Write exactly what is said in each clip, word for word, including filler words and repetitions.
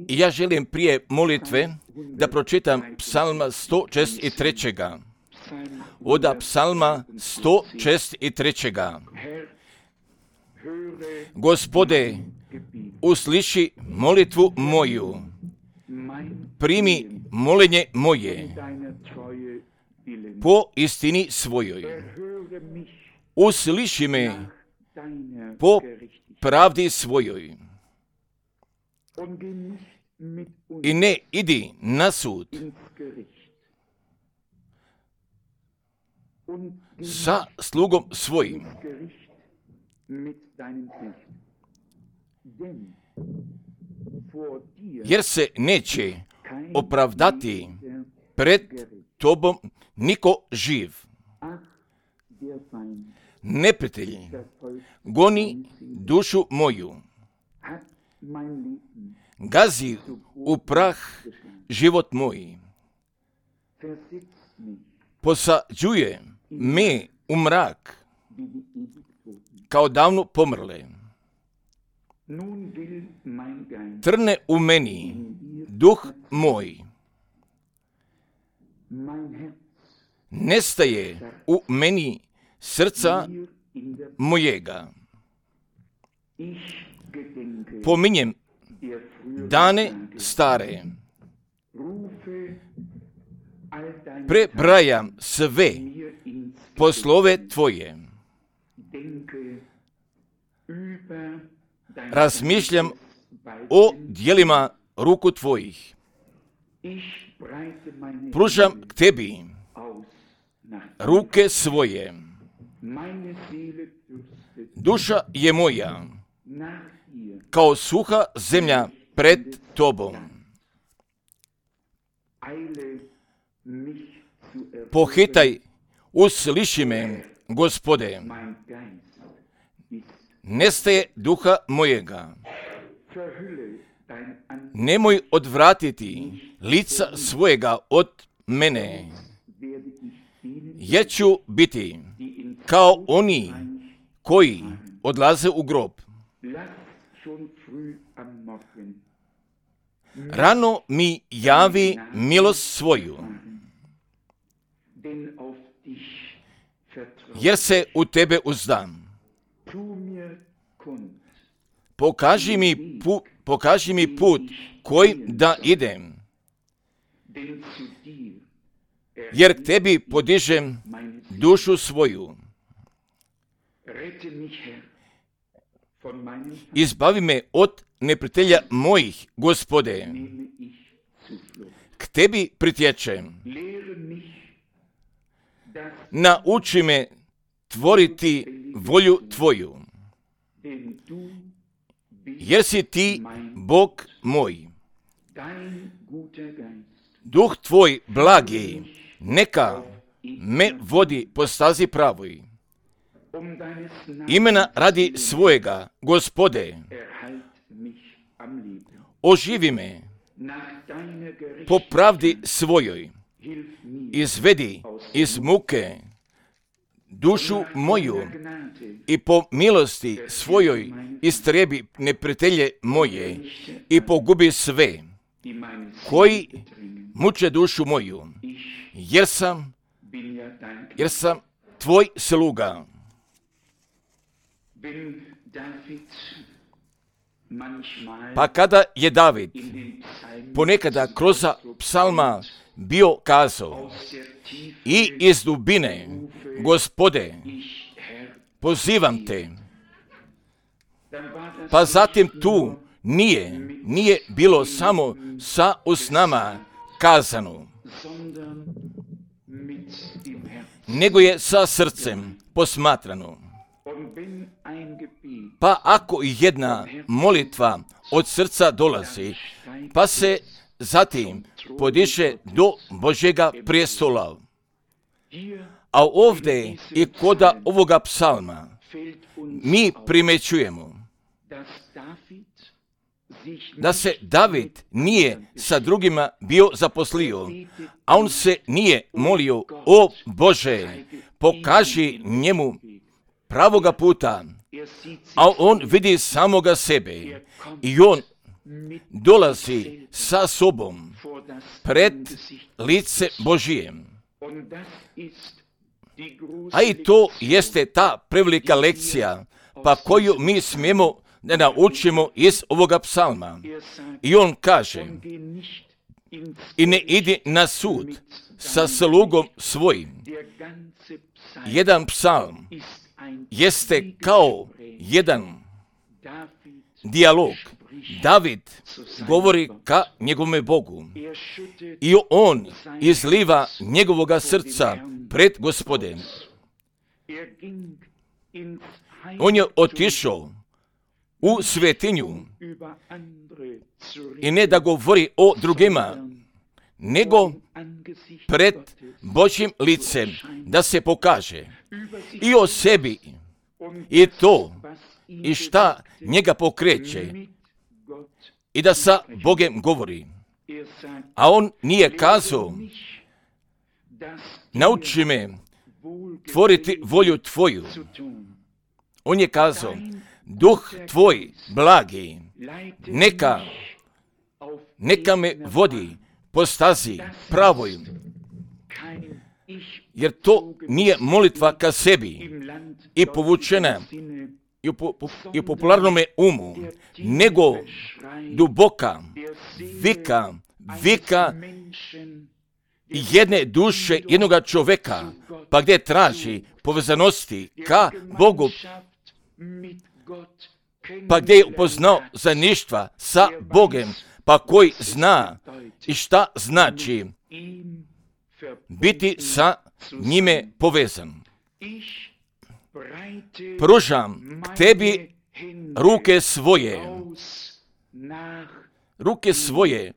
I ja želim prije molitve da pročitam psalma sto šezdeset tri. Oda psalma sto šezdeset tri. Gospode, usliši molitvu moju, primi molenje moje po istini svojoj. Usliši me po pravdi svojoj. I ne idi na sud sa slugom svojim, jer se neće opravdati pred tobom niko živ. Neprijatelj goni dušu moju, gazi u prah život moj, posađuje me u mrak kao davno pomrle. Trne u meni duh moj, nestaje u meni srca mojega. Pominjem dane stare, prebrajam sve poslove tvoje, razmišljam o djelima ruku tvojih, pružam k tebi ruke svoje. Duša je moja kao suha zemlja pred tobom. Pohitaj, usliši me, Gospode, nestaje duha mojega. Nemoj odvratiti lica svojega od mene, jer ću biti kao oni koji odlaze u grob. Rano mi javi milost svoju, jer se u tebe uzdam. Pokaži mi, pu, pokaži mi put kojim da idem, jer k tebi podižem dušu svoju. Izbavi me od neprijatelja mojih, Gospode. K tebi pritječem. Nauči me tvoriti volju tvoju, jer si ti Bog moj. Duh tvoj blagi neka me vodi po stazi pravoj. Imena radi svojega, Gospode, oživi me po pravdi svojoj. Izvedi iz muke dušu moju i po milosti svojoj istrebi neprijatelje moje i pogubi sve koji muče dušu moju, jer sam, jer sam tvoj sluga. Pa kada je David ponekada kroz psalma bio kazao i iz dubine, Gospode, pozivam te, pa zatim tu nije, nije bilo samo sa usnama kazano, nego je sa srcem posmatrano. Pa ako jedna molitva od srca dolazi, pa se zatim podiže do Božjega prijestola. A ovdje i kod ovoga psalma mi primećujemo da se David nije sa drugima bio zaposlio, a on se nije molio: o Bože, pokaži njemu pravoga puta, a on vidi samoga sebe i on dolazi sa sobom pred lice Božije. A i to jeste ta prevelika lekcija, pa koju mi smijemo da naučimo iz ovoga psalma. I on kaže, i ne idi na sud sa slugom svojim. Jedan psalm jeste kao jedan dijalog. David govori ka njegovome Bogu i on izliva njegovoga srca pred Gospodem. On je otišao u svetinju i ne da govori o drugima, nego pred Božjim licem da se pokaže i o sebi i to i šta njega pokreće i da sa Bogem govori. A on nije kazao, nauči me tvoriti volju tvoju. On je kazao, duh tvoj blagi, neka, neka me vodi po stazi pravoj, jer to nije molitva ka sebi i povučena i u, po, i u popularnome umu, nego duboka vika, vika jedne duše, jednoga čoveka, pa gdje traži povezanosti ka Bogu, pa gdje je upoznao zajedništva sa Bogem, pa koji zna i šta znači biti sa njime povezan. Pružam k tebi ruke svoje, ruke svoje,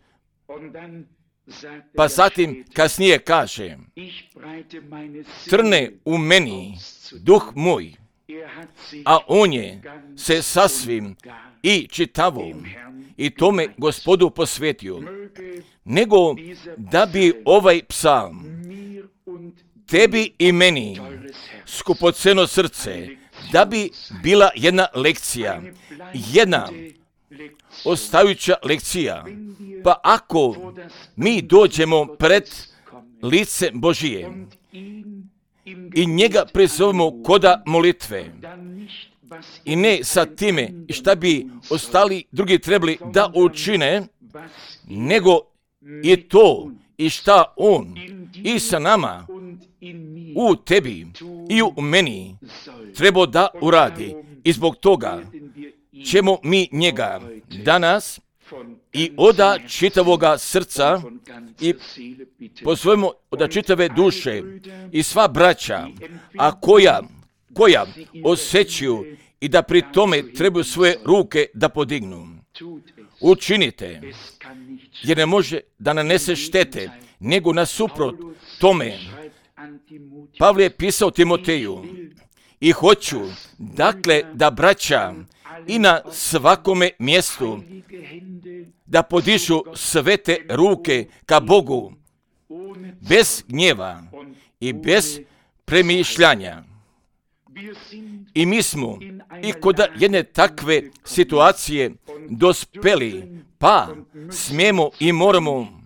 pa zatim kasnije kaže, trne u meni duh moj, a on je se sasvim i čitavo i tome Gospodu posvetio, nego da bi ovaj psalm tebi i meni skupoceno srce, da bi bila jedna lekcija, jedna ostajuća lekcija. Pa ako mi dođemo pred lice Božije i njega prizovemo koda molitve, i ne sa time šta bi ostali drugi trebali da učine, nego i to i šta on i sa nama u tebi i u meni treba da uradi. I zbog toga ćemo mi njega danas i oda čitavoga srca i pozovemo oda čitave duše i sva braća, a koja, koja osjećaju i da pri tome trebaju svoje ruke da podignu. Učinite, jer ne može da nanese štete, nego nasuprot tome. Pavle je pisao Timoteju, i hoću, dakle, da braća i na svakome mjestu da podižu svete ruke ka Bogu, bez gnjeva i bez premišljanja. I mi smo i kod jedne takve situacije dospeli, pa smijemo i moramo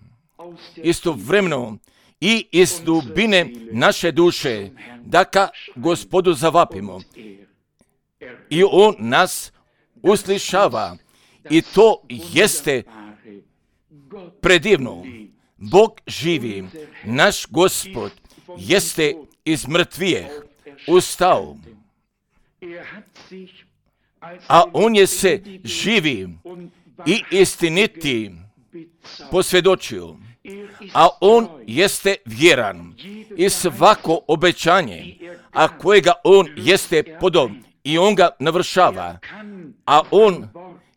istovremeno i iz dubine naše duše da ka Gospodu zavapimo. I on nas uslišava i to jeste predivno. Bog živi, naš Gospod jeste iz mrtvijeh ustao, a on je se živi i istiniti posvjedočio, a on jeste vjeran i svako obećanje, a kojega on jeste podao i on ga navršava, a on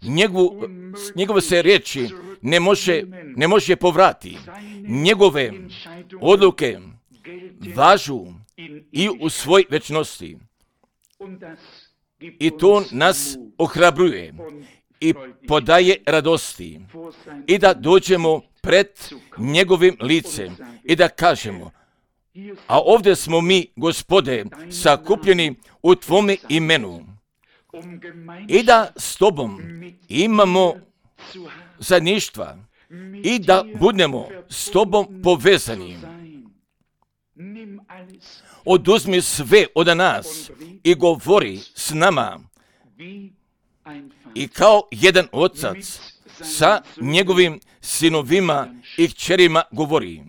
njegovu, njegove se riječi ne može, ne može povrati. Njegove odluke važu i u svoj večnosti. I to nas ohrabruje i podaje radosti i da dođemo pred njegovim licem i da kažemo, a ovdje smo mi, Gospode, sakupljeni u tvome imenu. i da s tobom imamo zajedništva i da budemo s tobom povezani. Oduzmi sve od nas i govori s nama i kao jedan otac sa njegovim sinovima i kćerima govori,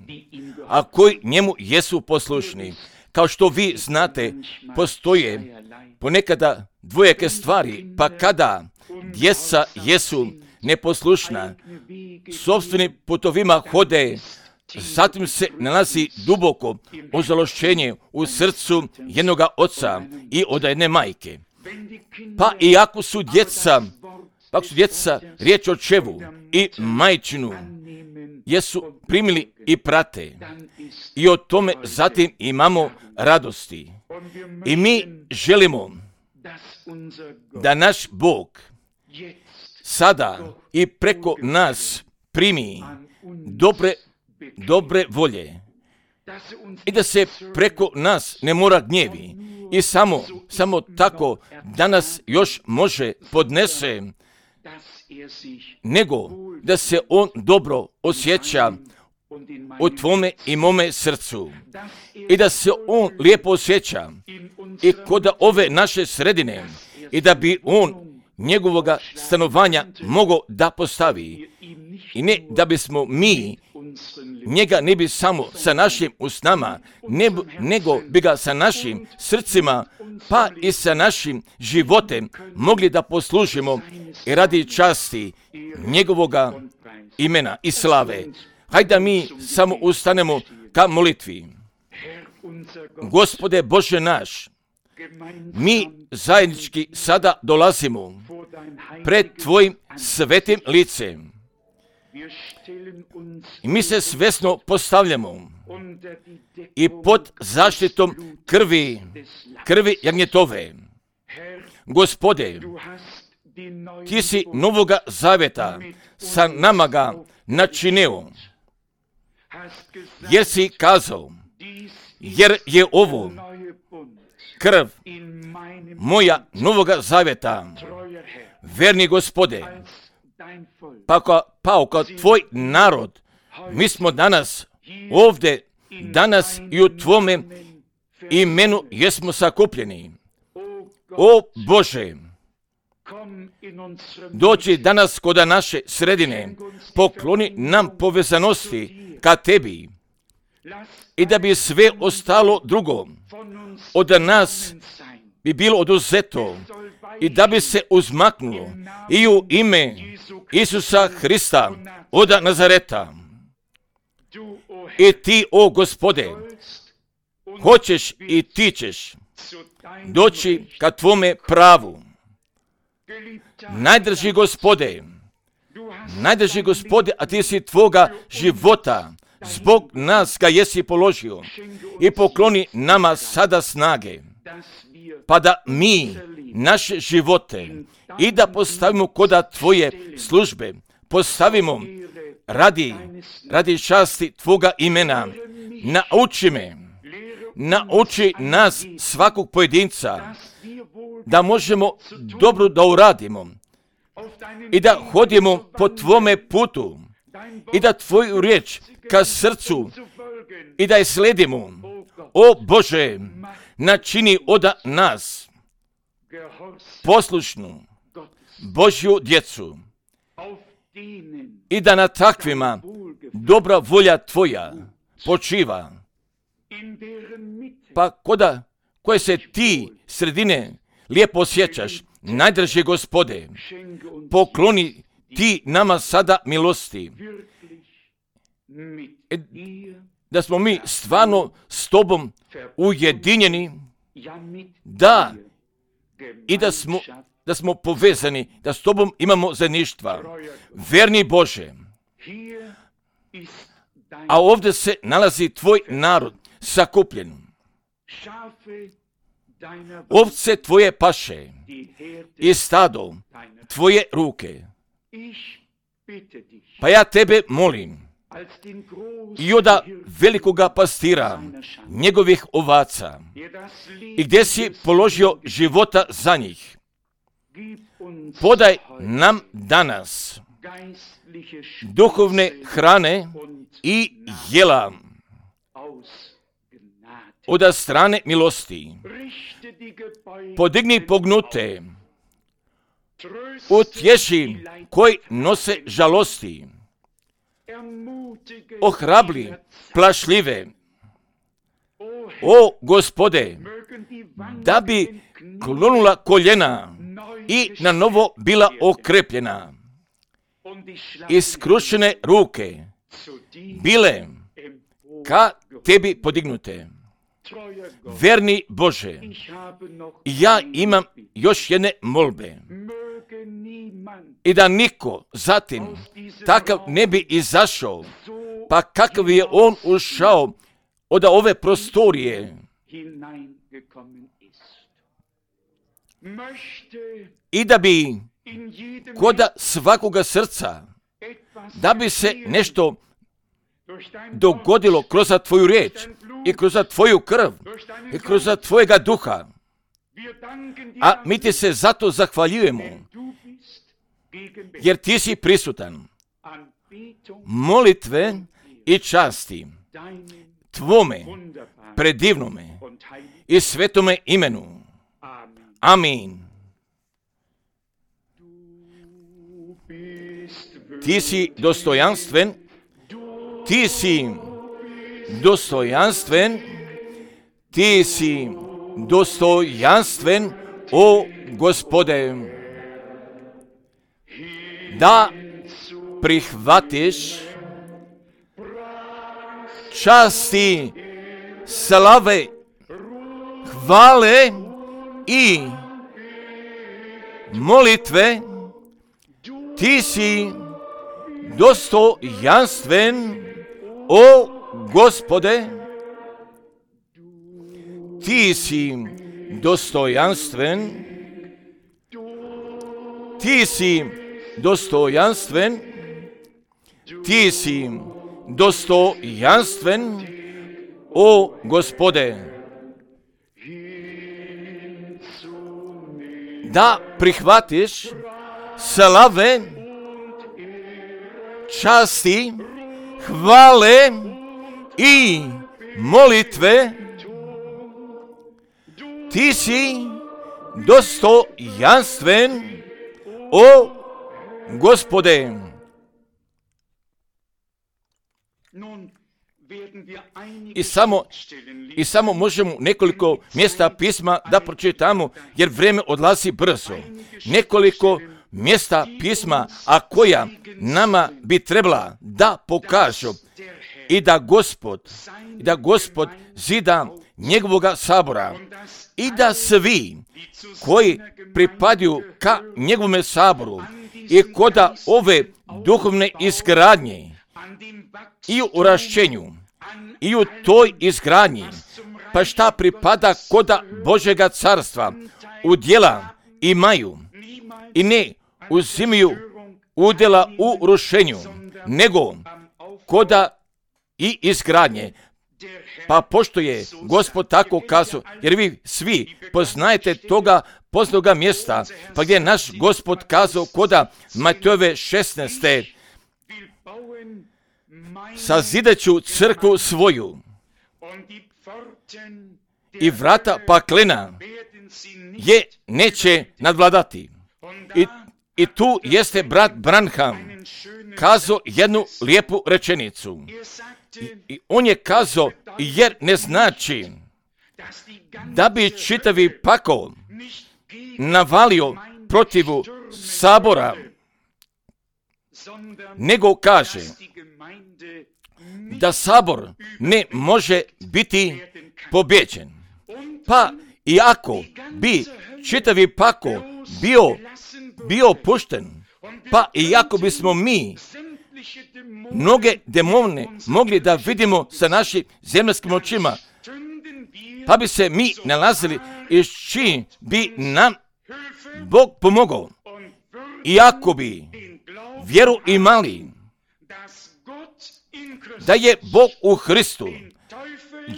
a koji njemu jesu poslušni. Kao što vi znate, postoje ponekada dvojake stvari, pa kada djeca jesu neposlušna, sopstvenim putovima hode, zatim se nalazi duboko ozalošćenje u srcu jednoga oca i od jedne majke. Pa i ako su djeca, pa ako su djeca riječ o očevu i majčinu, jesu primili i prate i o tome zatim imamo radosti. I mi želimo da naš Bog sada i preko nas primi dobre, dobre volje i da se preko nas ne mora gnjevi i samo, samo tako da nas još može podnese, nego da se on dobro osjeća u tvome i mome srcu i da se on lijepo osjeća i kod ove naše sredine i da bi on njegovoga stanovanja mogao da postavi i ne da bismo mi njega ne bi samo sa našim usnama, ne, nego bi ga sa našim srcima pa i sa našim životem mogli da poslužimo i radi časti njegovoga imena i slave. Hajde da mi samo ustanemo ka molitvi. Gospode Bože naš, mi zajednički sada dolazimo pred tvojim svetim licem i mi se svesno postavljamo i pod zaštitom krvi, krvi jagnjetove. Gospode, ti si novoga zavjeta sa nama ga načinio, jer si kazao, jer je ovo krv moja novoga zavjeta, verni Gospode, pa kao, pa kao tvoj narod, mi smo danas ovdje, danas i u tvome imenu jesmo sakupljeni. O Bože, doći danas kod naše sredine, pokloni nam povezanosti ka tebi i da bi sve ostalo drugo od nas bi bilo oduzeto i da bi se uzmaknulo i u ime Isusa Hrista od Nazareta. I ti, o Gospode, hoćeš i ti ćeš doći ka tvome pravu. Najdrži Gospode, najdrži Gospode, a ti si tvoga života zbog nas ga jesi položio i pokloni nama sada snage, pa da mi naše živote i da postavimo koda tvoje službe, postavimo radi, radi časti tvoga imena. Nauči me, nauči nas svakog pojedinca da možemo dobro da uradimo i da hodimo po tvome putu i da tvoju riječ ka srcu i da je sledimo. O Bože, načini od nas poslušnu Božju djecu i da na takvima dobra volja tvoja počiva. Pa koda koje se ti sredine lijepo osjećaš, najdrži Gospode, pokloni ti nama sada milosti. E, da smo mi stvarno s tobom ujedinjeni, da, i da smo, da smo povezani, da s tobom imamo zajedništva. Verni Bože, a ovdje se nalazi tvoj narod sakupljen. Ovce tvoje paše i stado tvoje ruke. Pa ja tebe molim, i oda velikoga pastira njegovih ovaca, i gdje si položio života za njih, podaj nam danas duhovne hrane i jela od strane milosti. Podigni pognute, utješi koji nose žalosti, ohrabli plašljive. O Gospode, da bi klonula koljena i na novo bila okrepljena, iskrušene ruke bile ka tebi podignute. Verni Bože, ja imam još jedne molbe. I da niko zatim takav ne bi izašao, pa kakav je on ušao od ove prostorije. I da bi kod svakoga srca, da bi se nešto dogodilo kroz tvoju riječ i kroz tvoju krv i kroz tvojega duha. A mi ti se zato zahvaljujemo, jer ti si prisutan. Molitve i časti tvome predivnome i svetome imenu. Amin. Ti si dostojanstven, ti si dostojanstven, ti si dostojanstven, o Gospode, da prihvatiš časti, slave, hvale i molitve. Ti si dostojanstven, o Gospode, ti si dostojanstven, ti si dostojanstven, ti si dostojanstven, o Gospode, da prihvatiš slave, časti, hvale i molitve. Ti si dostojanstven, o Gospode. I samo, I samo možemo nekoliko mjesta pisma da pročitamo, jer vrijeme odlazi brzo. Nekoliko mjesta pisma, a koja nama bi trebala da pokažu i da Gospod, i da Gospod zida njegovoga sabora i da svi koji pripadaju ka njegovome saboru i koda ove duhovne izgradnje i u rašćenju i u toj izgradnji, pa šta pripada koda Božega carstva, udjela imaju i ne uzimaju udjela u rušenju, nego koda i izgradnje. Pa pošto je Gospod tako kazao, jer vi svi poznajete toga poznatoga mjesta, pa gdje je naš Gospod kazao koda Matejove šesnaeste. Sazidaću crkvu svoju i vrata paklena je neće nadvladati. I, i tu jeste brat Branham kazao jednu lijepu rečenicu. I, I on je kazao, jer ne znači da bi čitavi pakao navalio protivu sabora, nego kaže da sabor ne može biti pobjeđen. Pa i ako bi čitavi pakao bio, bio pušten, pa i ako bismo mi mnoge demone mogli da vidimo sa našim zemaljskim očima, pa bi se mi nalazili iz čim bi nam Bog pomogao. Iako bi vjeru imali da je Bog u Hristu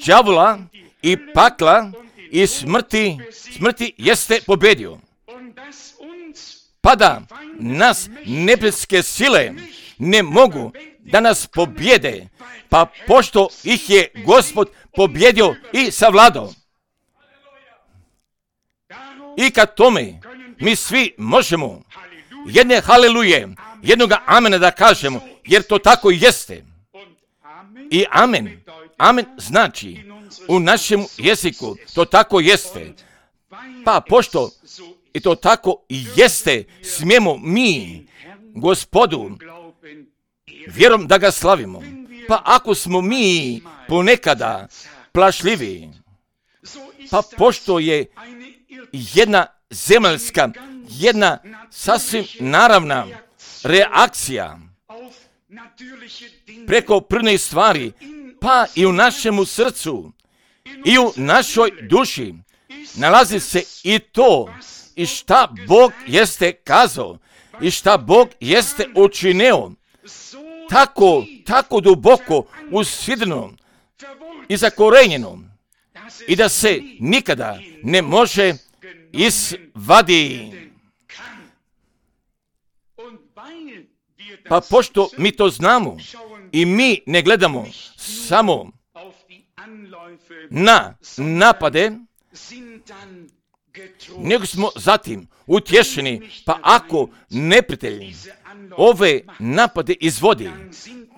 đavola i pakla i smrti, smrti jeste pobjedio. pa da nas nebeske sile ne mogu da nas pobjede, pa pošto ih je Gospod pobjedio i savladao. I kad tome mi svi možemo jedne haleluje, jednoga amena da kažemo, jer to tako i jeste. I amen, amen znači u našem jeziku to tako jeste. Pa pošto i to tako i jeste, smijemo mi Gospodu vjerom da ga slavimo. Pa ako smo mi ponekada plašljivi, pa pošto je jedna zemaljska, jedna sasvim naravna reakcija preko prirodnih stvari, pa i u našemu srcu i u našoj duši nalazi se i to i šta Bog jeste kazao i šta Bog jeste učinio, tako, tako duboko usidreno i zakorenjeno i da se nikada ne može izvadi. Pa pošto mi to znamo i mi ne gledamo samo na napade, nego smo zatim utješeni, pa ako neprijatelj ove napade izvodi,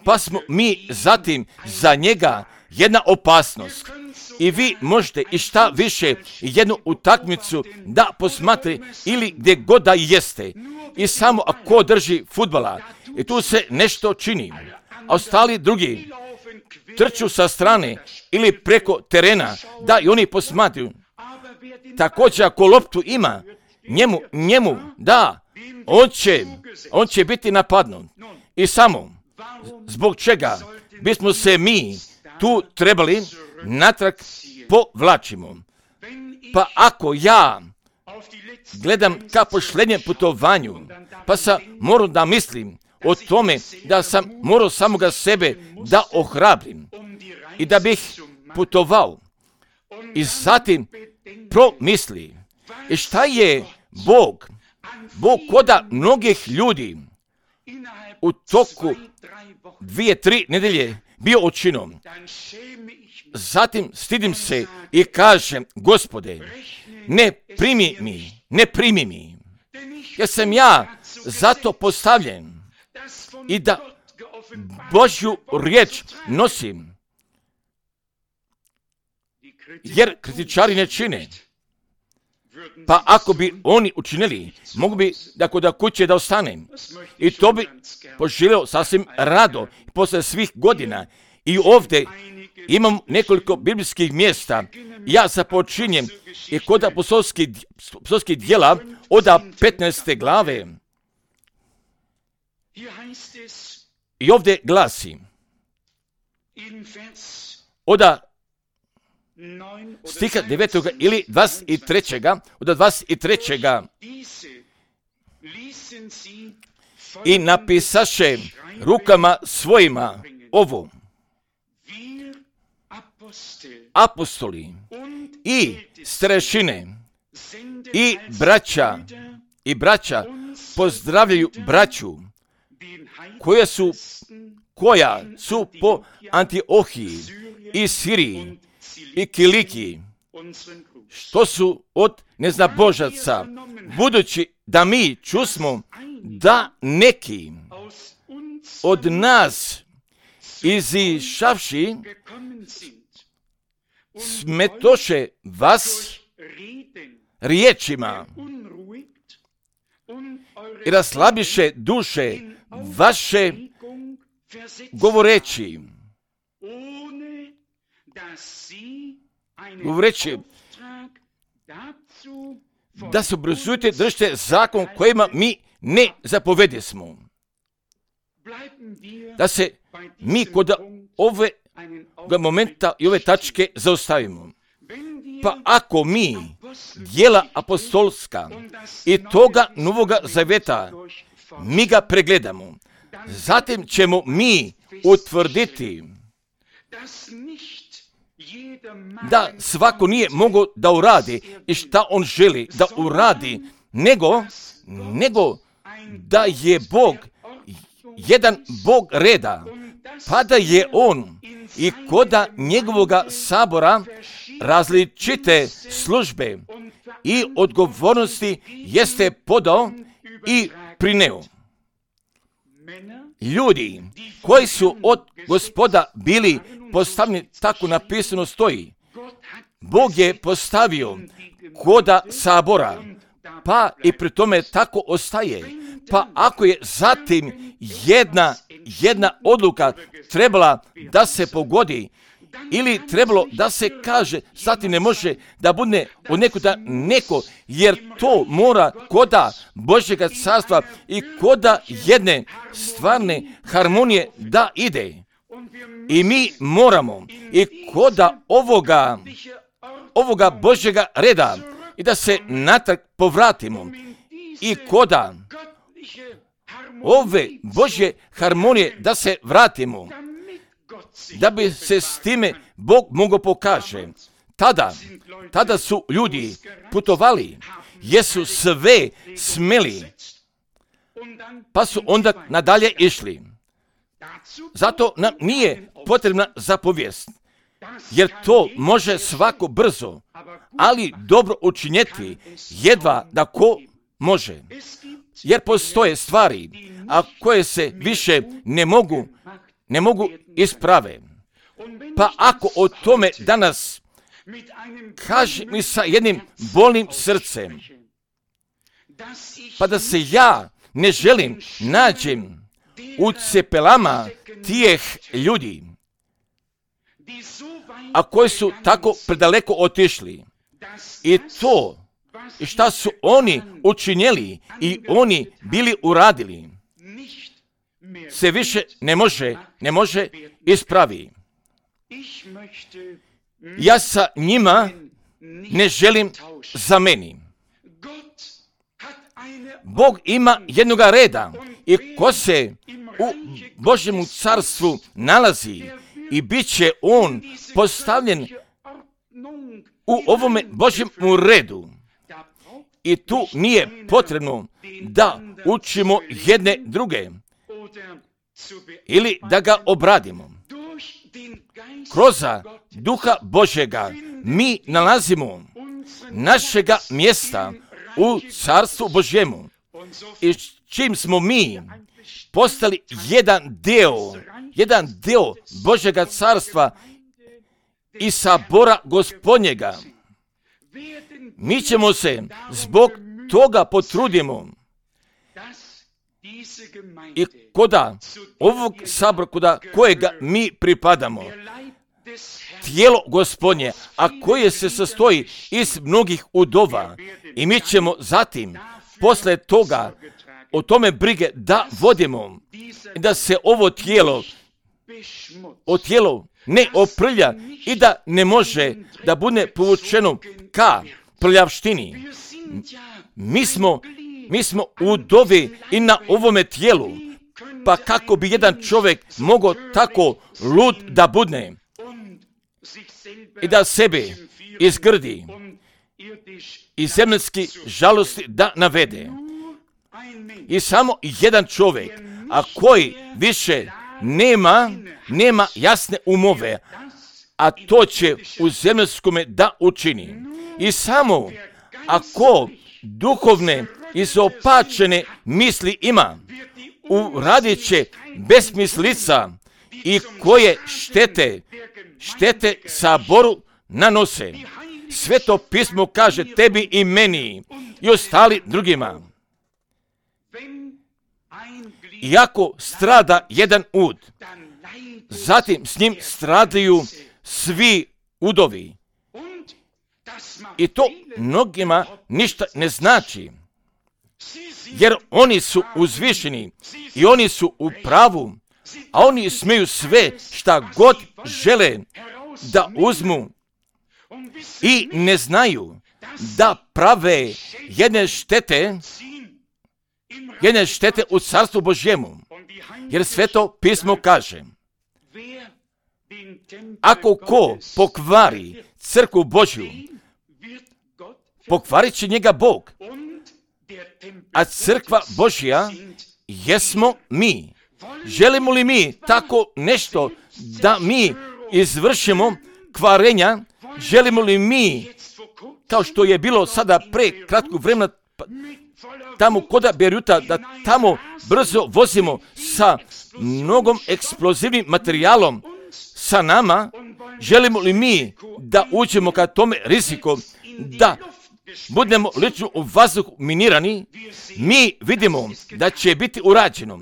pa smo mi zatim za njega jedna opasnost. I vi možete i šta više jednu utakmicu da posmatre ili gdje god da jeste. I samo ako drži fudbala i tu se nešto čini, a ostali drugi trču sa strane ili preko terena da i oni posmatruju. Također ako loptu ima, njemu, njemu, da, on će, on će biti napadnut. I samo zbog čega bismo se mi tu trebali natrag povlačimo. Pa ako ja gledam ka posljednjem putovanju, pa sam morao da mislim o tome da sam morao samoga sebe da ohrabrim i da bih putovao i zatim promisli i šta je Bog, Bog koda mnogih ljudi u toku dvije, tri nedelje bio učinom. Zatim stidim se i kažem, Gospode, ne primi mi, ne primi mi, jer sam ja zato postavljen i da Božju riječ nosim, jer kritičari ne čine. Pa ako bi oni učinili, mogu bi da kod kuće da ostanem. I to bi poželio sasvim rado posle svih godina. I ovdje imam nekoliko biblijskih mjesta. Ja započinjem i kod apostolskih, apostolskih djela od petnaeste glave. I ovdje glasi od stiha devetog ili dvadeset trećeg od dvadeset trećeg i napisaše rukama svojima ovo: apostoli i starešine i braća i braća pozdravljaju braću koja su koja su po Antiohiji i Siriji i Kiliki, što su od neznabožaca, budući da mi čusmo da neki od nas izišavši smetoše vas riječima i raslabiše duše vaše govoreći, govoreći da se obrazujete, držite zakon kojima mi ne zapovedesmo. Da se mi kod ove momenta i ove tačke zaustavimo. Pa ako mi djela apostolska i toga Novoga Zaveta mi ga pregledamo, zatim ćemo mi utvrditi da svako nije mogao da uradi i šta on želi da uradi nego, nego da je Bog jedan Bog reda, pa da je On i koda njegovoga sabora različite službe i odgovornosti jeste podao i prineo. Ljudi koji su od Gospoda bili postavljeni, tako napisano stoji, Bog je postavio koda sabora, pa i pri tome tako ostaje. Pa ako je zatim jedna, jedna odluka trebala da se pogodi, ili trebalo da se kaže, zatim ne može da bude od nekuda neko, jer to mora koda Božjega carstva i koda jedne stvarne harmonije da ide. I mi moramo i koda ovoga, ovoga Božjega reda i da se natrag povratimo i koda ove Božje harmonije da se vratimo, da bi se s time Bog mogao pokaže. Tada, tada su ljudi putovali, jesu sve smeli, pa su onda nadalje išli. Zato nam nije potrebna zapovijest, jer to može svako brzo, ali dobro učinjeti jedva da ko može. Jer postoje stvari, a koje se više ne mogu, ne mogu isprave. Pa ako o tome danas kaže mi sa jednim bolnim srcem, pa da se ja ne želim nađem u cepelama tih ljudi, a koji su tako predaleko otišli. I to, i šta su oni učinjeli i oni bili uradili, se više ne može, ne može ispravi. Ja sa njima ne želim za meni. Bog ima jednoga reda i ko se u Božjemu carstvu nalazi i bit će on postavljen u ovome Božjemu redu. I tu nije potrebno da učimo jedne druge ili da ga obradimo. Kroz Duha Božjega mi nalazimo našega mjesta u Carstvu Božjemu. I čim smo mi postali jedan deo, jedan deo Božjega carstva i sabora Gospodnjega, mi ćemo se zbog toga potrudimo i koda ovog sabora, koda kojega mi pripadamo, tijelo Gospodnje, a koje se sastoji iz mnogih udova, i mi ćemo zatim posle toga o tome brige da vodimo i da se ovo tijelo o tijelo ne oprlja i da ne može da bude povučeno ka prljavštini. Mi smo, mi smo udovi i na ovome tijelu, pa kako bi jedan čovjek mogao tako lud da budne i da sebe izgrdi i zemaljski žalosti da navede. I samo jedan čovjek, a koji više nema, nema jasne umove, a to će u zemaljskome da učini. I samo ako duhovne izopačene misli ima, uradit će besmislica i koje štete, štete saboru nanose. Sveto pismo kaže tebi i meni i ostali drugima. Iako strada jedan ud, zatim s njim stradaju svi udovi. I to mnogima ništa ne znači, jer oni su uzvišeni i oni su u pravu, a oni smiju sve šta god žele da uzmu i ne znaju da prave jedne štete, jedne štete u Carstvu Božjemu. Jer Sveto pismo kaže, ako ko pokvari crkvu Božju, pokvarit će njega Bog a crkva Božja jesmo mi. Želimo li mi tako nešto da mi izvršimo kvarenja? Želimo li mi, kao što je bilo sada pre kratkog vremena, tamo kod Beruta, da tamo brzo vozimo sa mnogom eksplozivnim materijalom sa nama? Želimo li mi da uđemo ka tome riziku, da budemo lično u vazduhu minirani? Mi vidimo da će biti urađeno.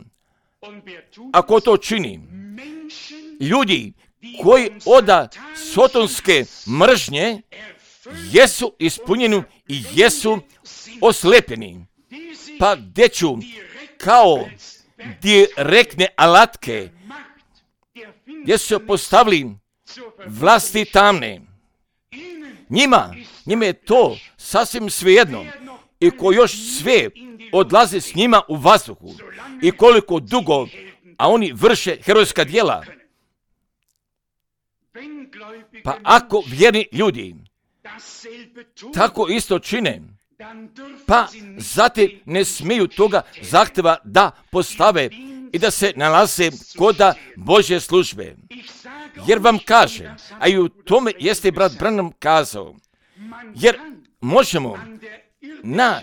Ako to čini, ljudi koji oda sotonske mržnje jesu ispunjeni i jesu oslepljeni. Pa gdje ću kao direktne alatke gdje su postavili vlasti tamne. Njima, njima je to sasvim svejedno. I ko još sve odlazi s njima u vazduhu i koliko dugo, a oni vrše herojska djela. Pa ako vjerni ljudi tako isto čine, pa zatim ne smiju toga zahtjeva da postave i da se nalaze koda Božje službe. Jer vam kaže, a i u tome jeste brat Branham kazao, jer možemo na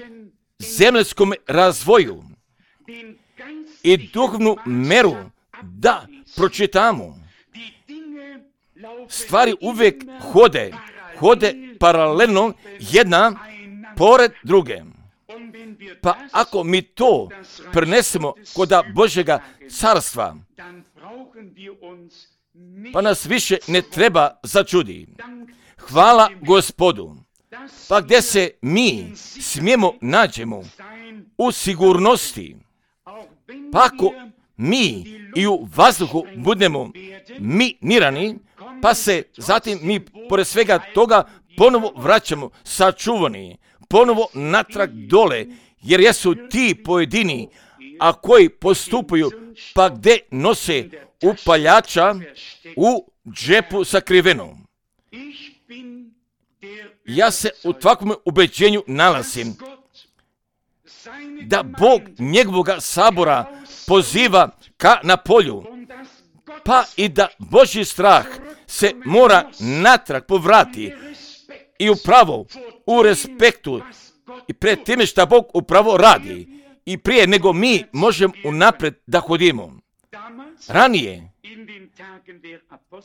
zemljskom razvoju i duhovnu meru da pročitamo. Stvari uvijek hode, hode paralelno jedna pored druge. Pa ako mi to prenesemo koda Božjega carstva, pa nas više ne treba začudi. Hvala Gospodu. Pa gdje se mi smijemo nađemo u sigurnosti, pa ako mi i u vazduhu budemo minirani, pa se zatim mi pored svega toga ponovo vraćamo sačuvani, ponovo natrag dole, jer jesu ti pojedini, a koji postupaju, pa gdje nose upaljača u džepu sakriveno. Ja se u takvom ubeđenju nalazim da Bog njegovoga sabora poziva ka na polju, pa i da Božji strah se mora natrag povrati i upravo u respektu i pred time što Bog upravo radi i prije nego mi možemo unaprijed da hodimo. Ranije,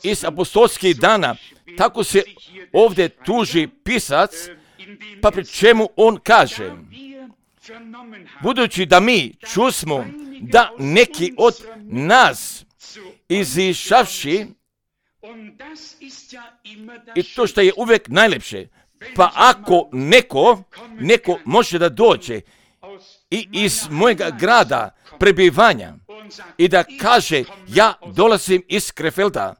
iz apostolskih dana, tako se ovdje tuži pisac, pa pri čemu on kaže, budući da mi čusmo da neki od nas izišavši, i to što je uvijek najlepše, pa ako neko, neko može da dođe i iz mojega grada prebivanja i da kaže ja dolazim iz Krefelda,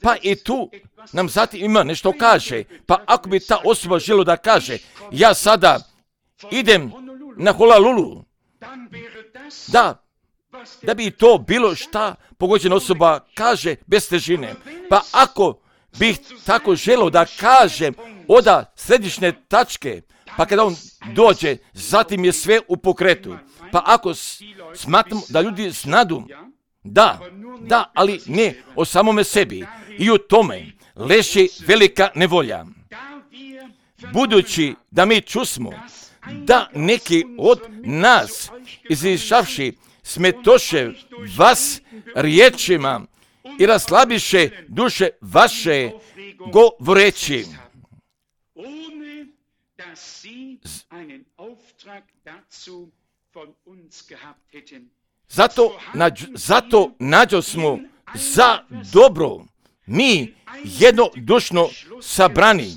pa i tu nam zatim ima nešto kaže. Pa ako bi ta osoba želo da kaže ja sada idem na Honolulu, da, da bi to bilo šta pogođena osoba kaže bez težine. Pa ako bih tako želo da kažem oda središnje tačke, pa kada on dođe, zatim je sve u pokretu. Pa ako smatram da ljudi znadu, da, da, ali ne o samome sebi. I u tome leži velika nevolja. Budući da mi čusmo da neki od nas izišavši smetoše vas riječima i raslabiše duše vaše govoreći. Zato, nađ, zato nađo smo za dobro mi jednodušno sabrani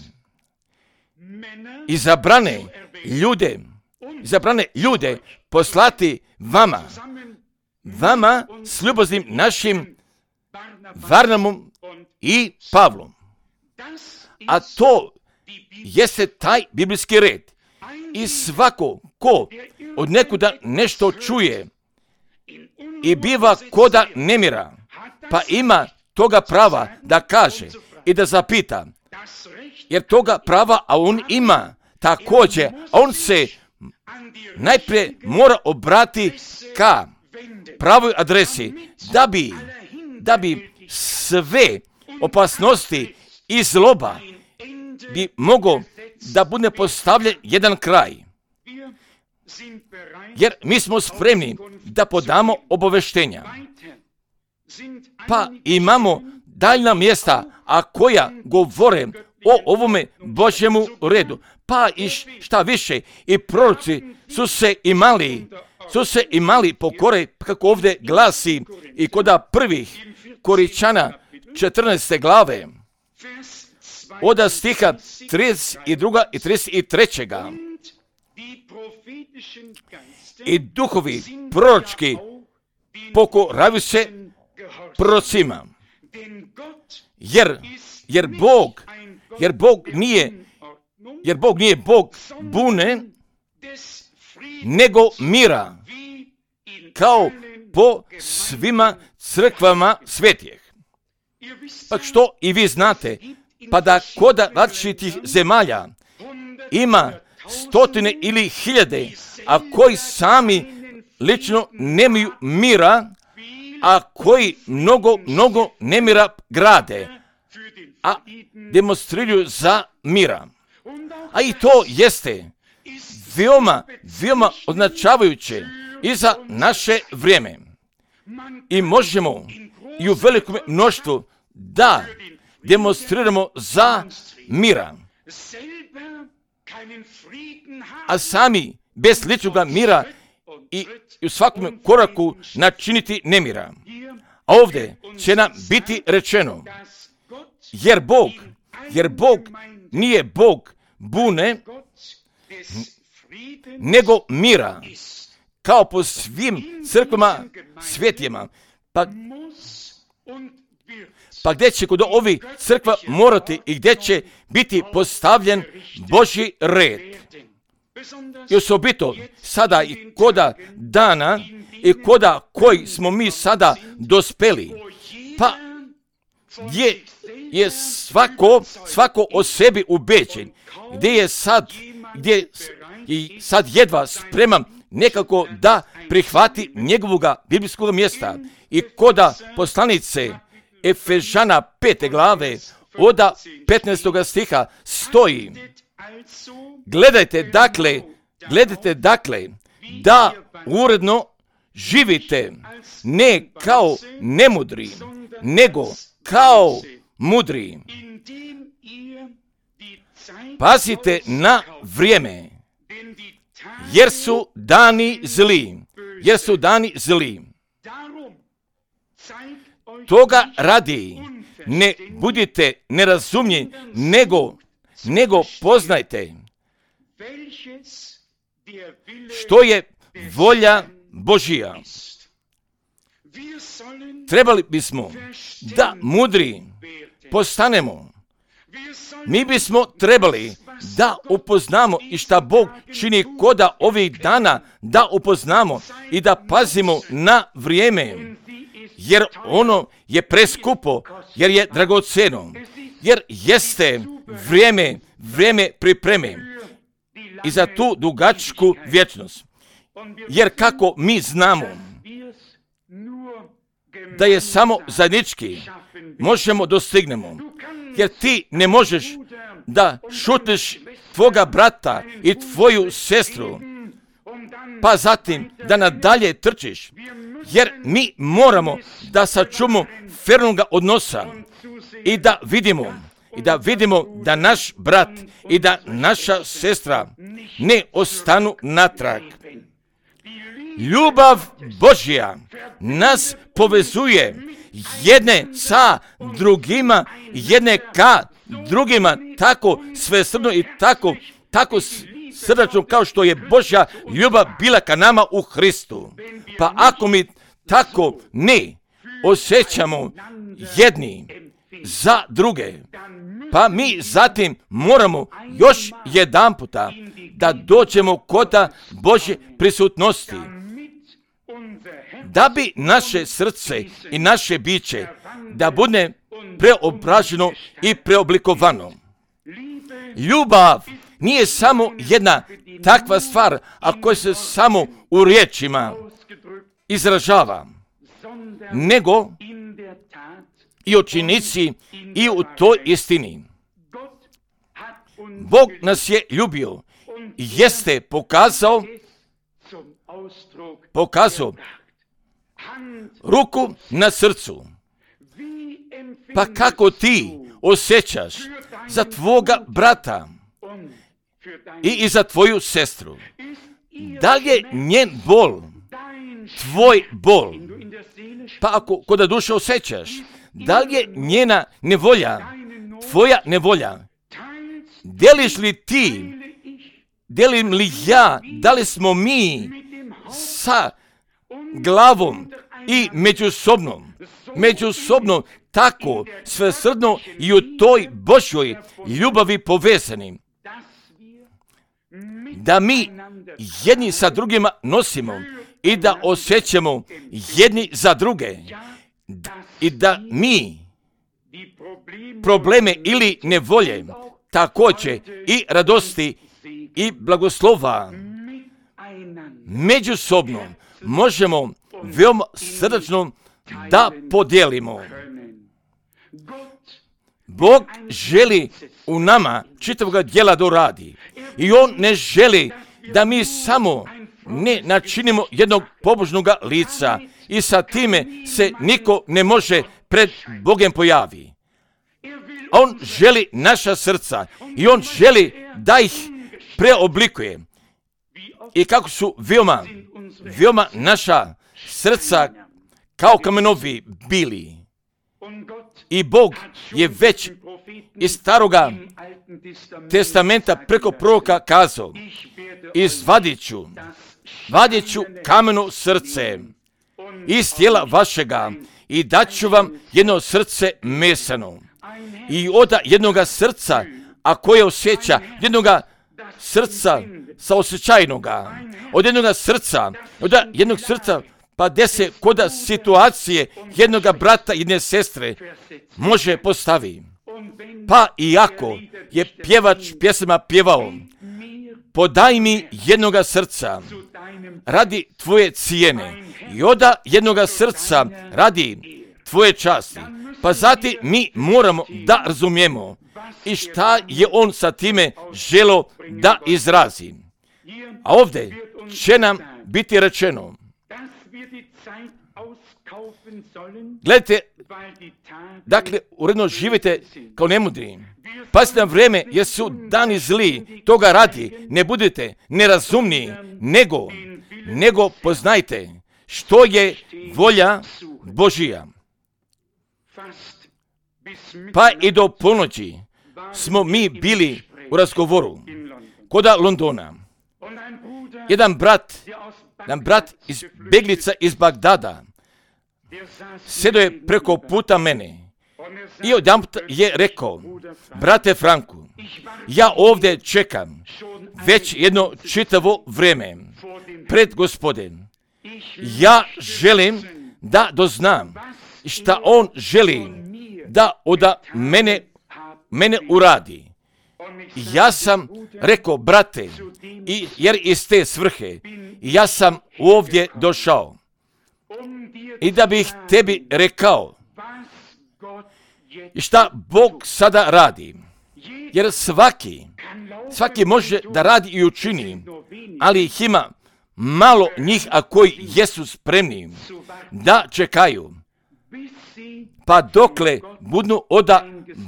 i zabrane ljude, zabrane ljude poslati vama, vama s ljubaznim našim Varnamom i Pavlom. A to jeste taj biblijski red. I svako ko od nekuda nešto čuje i biva koda nemira, pa ima toga prava da kaže i da zapita, jer toga prava, a on ima također, a on se najprije mora obrati ka pravoj adresi, da bi, da bi sve opasnosti i zloba bi mogo da bude postavljen jedan kraj. Jer mi smo spremni da podamo obaveštenja. Pa imamo daljna mjesta, a koja govore o ovome Božjemu redu. Pa i šta više, i proroci su se imali, su se imali pokore, kako ovdje glasi i koda prvih Koričana četrnaeste glave, od stiha trideset dva i trideset tri. I duhovi proročki pokoravaju se prorocima. Jer, jer Bog, jer Bog nije, jer Bog nije Bog bune, nego mira, kao po svima crkvama svetijeh. Pa što i vi znate, pa da koda različitih zemalja ima stotine ili hiljade, a koji sami lično nemaju mira, a koji mnogo, mnogo nemira grade, a demonstriraju za mira. A i to jeste veoma, veoma označavajuće i za naše vrijeme. I možemo i u velikom mnoštvu da demonstriramo za mira, a sami bez ličnog mira i u svakom koraku načiniti nemira. A ovdje će nam biti rečeno, jer Bog, jer Bog nije Bog bune, nego mira, kao po svim crkvama svjetijama. Pa, pa gdje će kod ovih crkva morati i gdje će biti postavljen Božji red. I osobito sada i koda dana i koda koji smo mi sada dospeli, pa gdje je svako, svako o sebi ubeđen, gdje je sad, gdje i sad jedva spreman nekako da prihvati njegovoga biblijskog mjesta. I koda poslanice Efežana pete glave od petnaestog stiha stoji: Gledajte dakle, gledajte dakle, da uredno živite, ne kao nemudri, nego kao mudri. Pazite na vrijeme, jer su dani zli, jer su dani zli. Toga radi, ne budite nerazumni, nego, nego poznajte što je volja Božija. Trebali bismo da mudri postanemo. Mi bismo trebali da upoznamo i šta Bog čini koda ovih dana, da upoznamo i da pazimo na vrijeme, jer ono je preskupo, jer je dragoceno, jer jeste vrijeme, vrijeme pripreme i za tu dugačku vječnost. Jer kako mi znamo da je samo zajednički možemo dostignemo, jer ti ne možeš da šutneš tvoga brata i tvoju sestru, pa zatim da nadalje trčiš, jer mi moramo da sačuvamo fernoga odnosa i da vidimo, i da vidimo da naš brat i da naša sestra ne ostanu natrag. Ljubav Božja nas povezuje jedne sa drugima, jedne ka drugima, tako svesrdno i tako, tako srdačno kao što je Božja ljubav bila ka nama u Hristu. Pa ako mi tako ne osjećamo jedni za druge, pa mi zatim moramo još jedan puta da dođemo kod Božje prisutnosti, da bi naše srce i naše biće da bude preobraženo i preoblikovano. Ljubav nije samo jedna takva stvar, ako se samo u riječima izražava, nego i u činjenici i u toj istini. Bog nas je ljubio i jeste pokazao, pokazao ruku na srcu. Pa kako ti osjećaš za tvoga brata i, i za tvoju sestru? Da li je njen bol tvoj bol? Pa ako kod duše osjećaš, da li je njena nevolja tvoja nevolja? Deliš li ti, delim li ja, da li smo mi sa glavom i međusobno, međusobno tako svesrdno i u toj Božjoj ljubavi povezani, da mi jedni sa drugima nosimo i da osjećamo jedni za druge i da mi probleme ili nevolje, također i radosti i blagoslova međusobno možemo veoma srdačno da podijelimo. Bog želi u nama čitavoga djela da radi i On ne želi da mi samo ne načinimo jednog pobožnog lica i sa time se niko ne može pred Bogom pojavi. On želi naša srca i On želi da ih preoblikuje. I kako su veoma, veoma naša srca kao kamenovi bili. I Bog je već iz staroga testamenta preko proroka kazao: izvadit ću, vadit ću kameno srce iz tijela vašega i dat ću vam jedno srce mesano. I od jednoga srca, a koje osjeća, jednoga srca saosjećajnoga, od jednoga srca, od jednog srca, pa gdje se koda situacije jednoga brata i jedne sestre može postavi. Pa iako je pjevač pjesama pjevao: podaj mi jednoga srca radi tvoje cijene i oda jednoga srca radi tvoje časti. Pa zatim mi moramo da razumijemo i šta je on sa time želo da izrazi. A ovdje će nam biti rečeno: gledajte, dakle, uredno živite kao nemudri. Pazite na vrijeme, jer su dani zli, toga radi, ne budete nerazumni, nego, nego poznajte što je volja Božija. Pa i do ponoći smo mi bili u razgovoru koda Londona. Jedan brat, jedan brat iz Beglica iz Bagdada sjedio je preko puta mene i odjedanput je rekao: brate Franku, ja ovdje čekam već jedno čitavo vrijeme pred Gospodem. Ja želim da doznam šta on želi da od mene, mene uradi. Ja sam rekao: brate, i, jer iz te svrhe ja sam ovdje došao i da bih tebi rekao šta Bog sada radi. Jer svaki, svaki može da radi i učini, ali ih ima malo njih, a koji jesu spremni da čekaju, pa dokle budu oda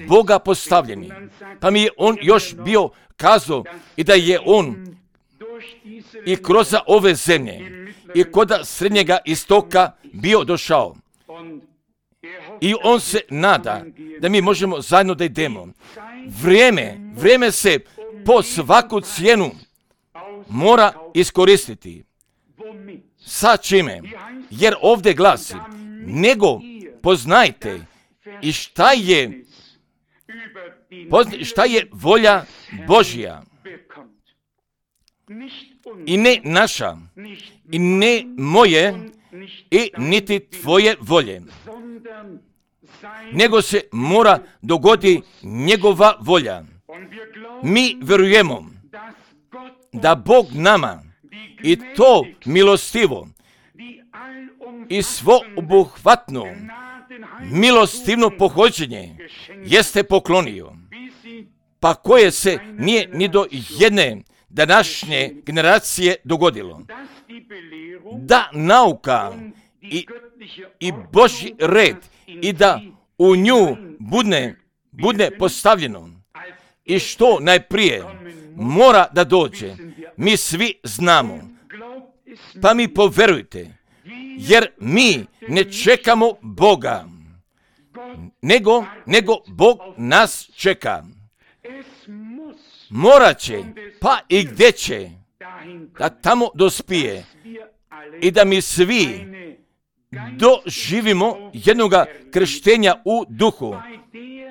Boga postavljeni. Pa mi je on još bio kazao i da je on i kroz ove zemlje i kod srednjega istoka bio došao. I on se nada da mi možemo zajedno da idemo. Vrijeme, vrijeme se po svaku cijenu mora iskoristiti. Sa čime? Jer ovdje glasi: nego poznajte i šta je, šta je volja Božja. I ne naša, i ne moje, i niti tvoje volje. Nego se mora dogodi njegova volja. Mi vjerujemo da Bog nama i to milostivo i svoobuhvatno milostivno pohođenje jeste poklonio, pa koje se nije ni do jedne današnje generacije dogodilo. Da nauka i, i Božji red i da u nju budne, budne postavljeno i što najprije mora da dođe, mi svi znamo. Pa mi poverujte, jer mi ne čekamo Boga, nego, nego Bog nas čeka. Morat će, pa i gdje će, da tamo dospije i da mi svi doživimo jednoga krštenja u duhu,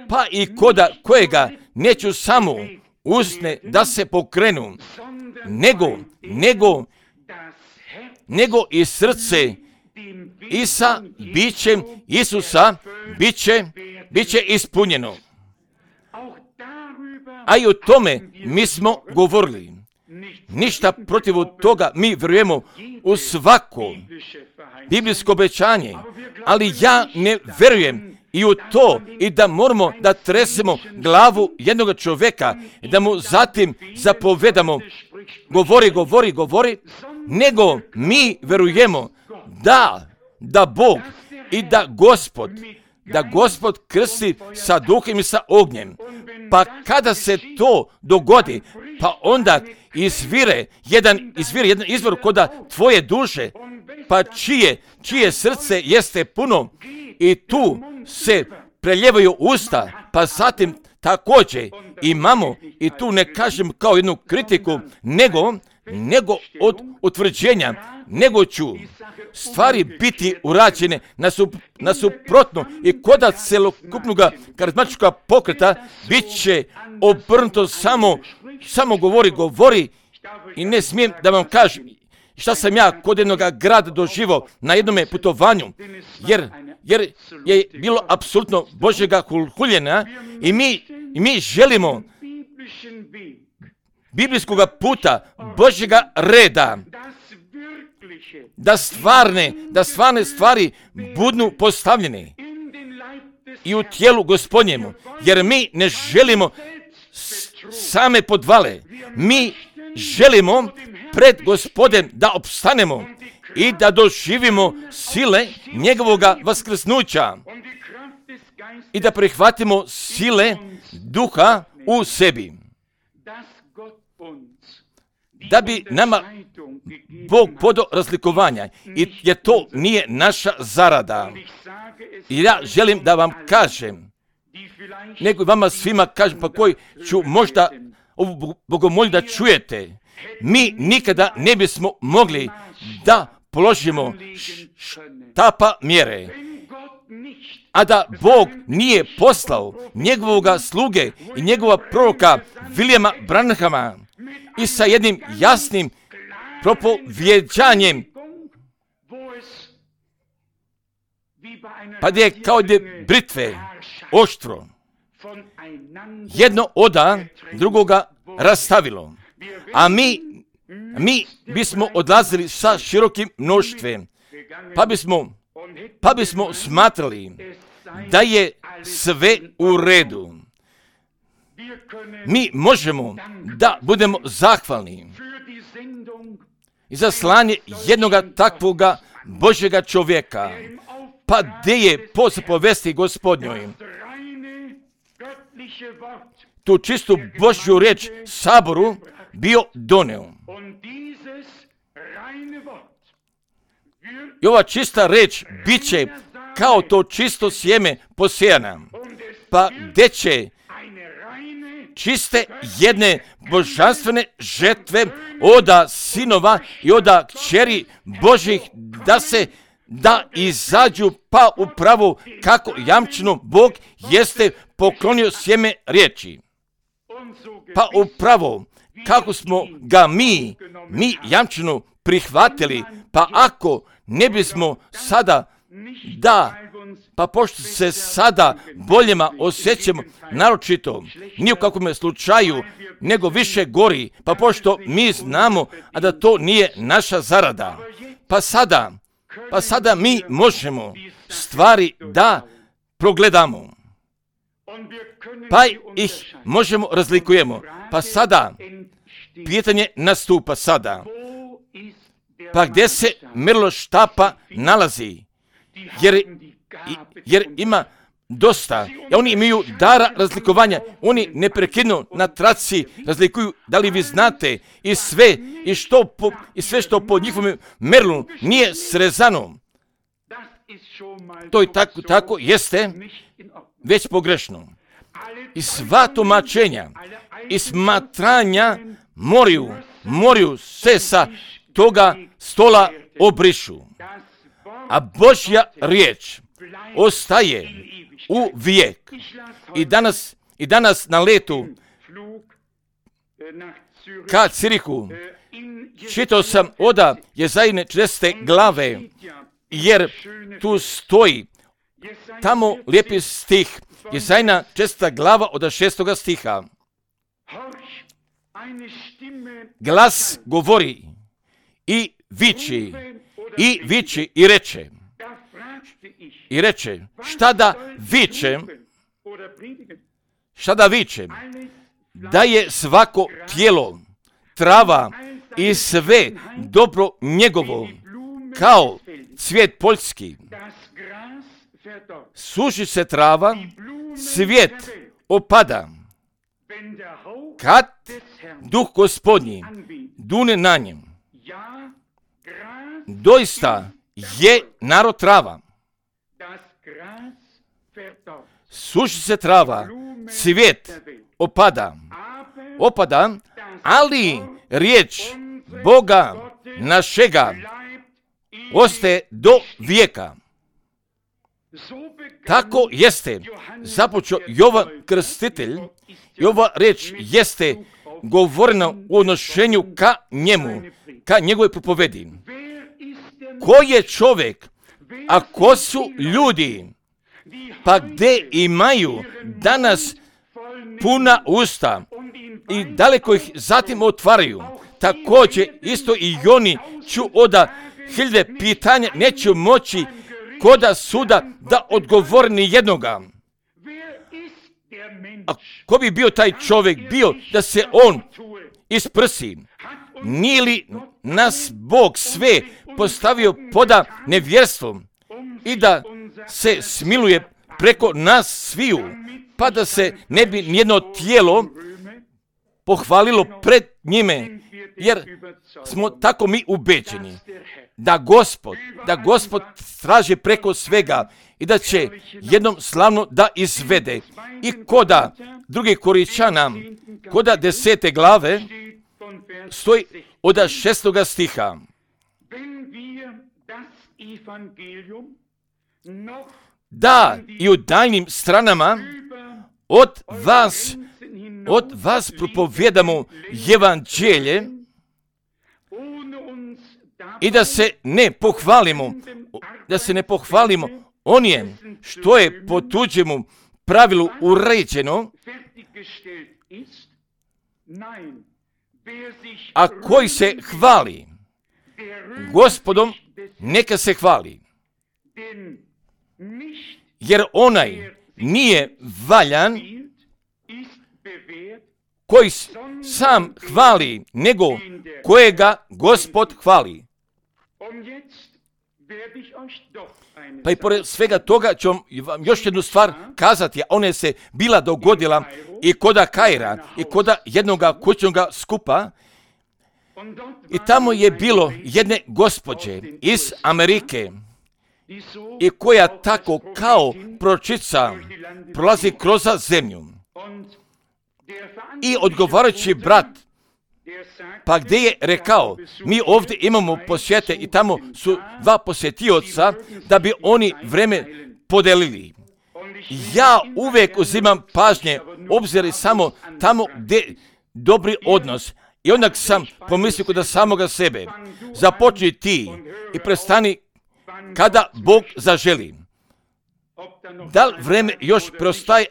pa i koda kojega neću samo usne da se pokrenu, nego, nego, nego i srce i sa bićem Isusa biće, biće ispunjeno. A i o tome mi smo govorili. Ništa protiv toga, mi vjerujemo u svako biblijsko obećanje, ali ja ne vjerujem i u to i da moramo da tresemo glavu jednog čovjeka i da mu zatim zapovedamo govori, govori, govori, nego mi vjerujemo da, da Bog i da Gospod, da Gospod krsti sa duhom i sa ognjem. Pa kada se to dogodi, pa onda izvire jedan, izvire jedan izvor koda tvoje duše, pa čije, čije srce jeste puno i tu se preljevaju usta, pa zatim također imamo, i tu ne kažem kao jednu kritiku, nego, nego od utvrđenja, nego ću stvari biti urađene nasup, nasuprotno i koda celokupnog karizmatičkog pokreta bit će obrnuto samo, samo govori, govori i ne smijem da vam kažem šta sam ja kod jednog grada doživao na jednom putovanju, jer, jer je bilo apsolutno Božjega huljenja i mi, i mi želimo biblijskog puta, Božjega reda, da stvarne, da stvarne stvari budu postavljene i u tijelu Gospodnjemu, jer mi ne želimo same podvale, mi želimo pred Gospodem da opstanemo i da doživimo sile njegovoga vaskrsnuća i da prihvatimo sile duha u sebi. Da bi nama Bog podao razlikovanja i jer to nije naša zarada. I ja želim da vam kažem, nego vama svima kažem, pa koji ću možda ovu bogomolju da čujete, mi nikada ne bismo mogli da položimo štapa mjere, a da Bog nije poslao njegovoga sluge i njegova proroka Williama Branhama i sa jednim jasnim propovjeđanjem, pa gdje je kao gdje britve oštro jedno oda drugoga rastavilo, a mi, mi bismo odlazili sa širokim mnoštvom, pa bismo, pa bismo smatrali da je sve u redu. Mi možemo da budemo zahvalni i za slanje jednoga takvoga Božjega čovjeka, pa gdje je po zapovesti Gospodnjoj tu čistu Božju riječ saboru bio doneo. I ova čista riječ bit će kao to čisto sjeme posijana, pa gdje će čiste jedne božanstvene žetve oda sinova i oda kćeri Božih da se da izađu pa upravo kako jamčeno Bog jeste poklonio sjeme riječi. Pa upravo kako smo ga mi, mi jamčeno prihvatili, pa ako ne bismo sada da Pa pošto se sada boljima osjećamo, naročito, ni u kakvom slučaju, nego više gori, pa pošto mi znamo, a da to nije naša zarada, pa sada, pa sada mi možemo stvari da progledamo, pa ih možemo razlikujemo. Pa sada, pitanje nastupa sada, pa gdje se mjerilo štapa nalazi, jer, jer ima dosta, i oni imaju dara razlikovanja, oni neprekidno na traci razlikuju, da li vi znate, i sve, i, što po, i sve što po njihovom merilu nije srezano, to i tako, tako jeste već pogrešno. I sva tumačenja i smatranja moraju, moraju se sa toga stola obrišu. A Božja riječ ostaje u vijek. I danas, i danas na letu ka Cirihu čitao sam oda Jezajine četrdesete glave, jer tu stoji tamo lijepi stih, Jezajina četrdeseta glava od šestoga stiha. Glas govori i viči, i viči i reče, i reče, šta da vičem, šta da vičem, da je svako tijelo, trava i sve dobro njegovo, kao cvijet poljski. Suši se trava, cvijet opada, kad duh Gospodnji dune na njem. Doista je narod trava. Suši se trava, cvijet opada, opada, ali riječ Boga našega ostaje do vijeka. Tako jeste započeo Jovan Krstitelj, i ova riječ jeste govorena u odnošenju ka njemu, ka njegove propovedi. Ko je čovjek, a ko su ljudi, pa gdje imaju danas puna usta i daleko ih zatim otvaraju, također isto i oni ću oda hiljade pitanja neću moći koda suda da odgovori ni jednoga. A ko bi bio taj čovjek bio da se on isprsi? Nije li nas Bog sve postavio poda nevjerstvom i da se smiluje preko nas sviju, pa da se ne bi nijedno tijelo pohvalilo pred njime, jer smo tako mi ubeđeni da Gospod, da Gospod traži preko svega i da će jednom slavno da izvede. I koda drugi Koričana, koda desete glave, stoji od šestoga stiha. Da i u daljnim stranama od vas, od vas propovjedamo evanđelje i da se ne pohvalimo, da se ne pohvalimo onije što je po tuđemu pravilu uređeno, a koji se hvali Gospodom, neka se hvali. Jer onaj nije valjan koji sam hvali, nego kojega Gospod hvali. Pa i pored svega toga ću vam još jednu stvar kazati, a ona se bila dogodila i koda Kaira i koda jednoga kućnoga skupa. I tamo je bilo jedne gospođe iz Amerike i koja tako kao pročica prolazi kroz zemlju. I odgovarajući brat, pa gdje je rekao, mi ovdje imamo posjete i tamo su dva posjetioca da bi oni vreme podelili. Ja uvijek uzimam pažnje, obziri samo tamo gdje dobri odnos. I onda sam pomislio kod samoga sebe, započni ti i prestani kada Bog zaželi. Da li vreme još preostaje,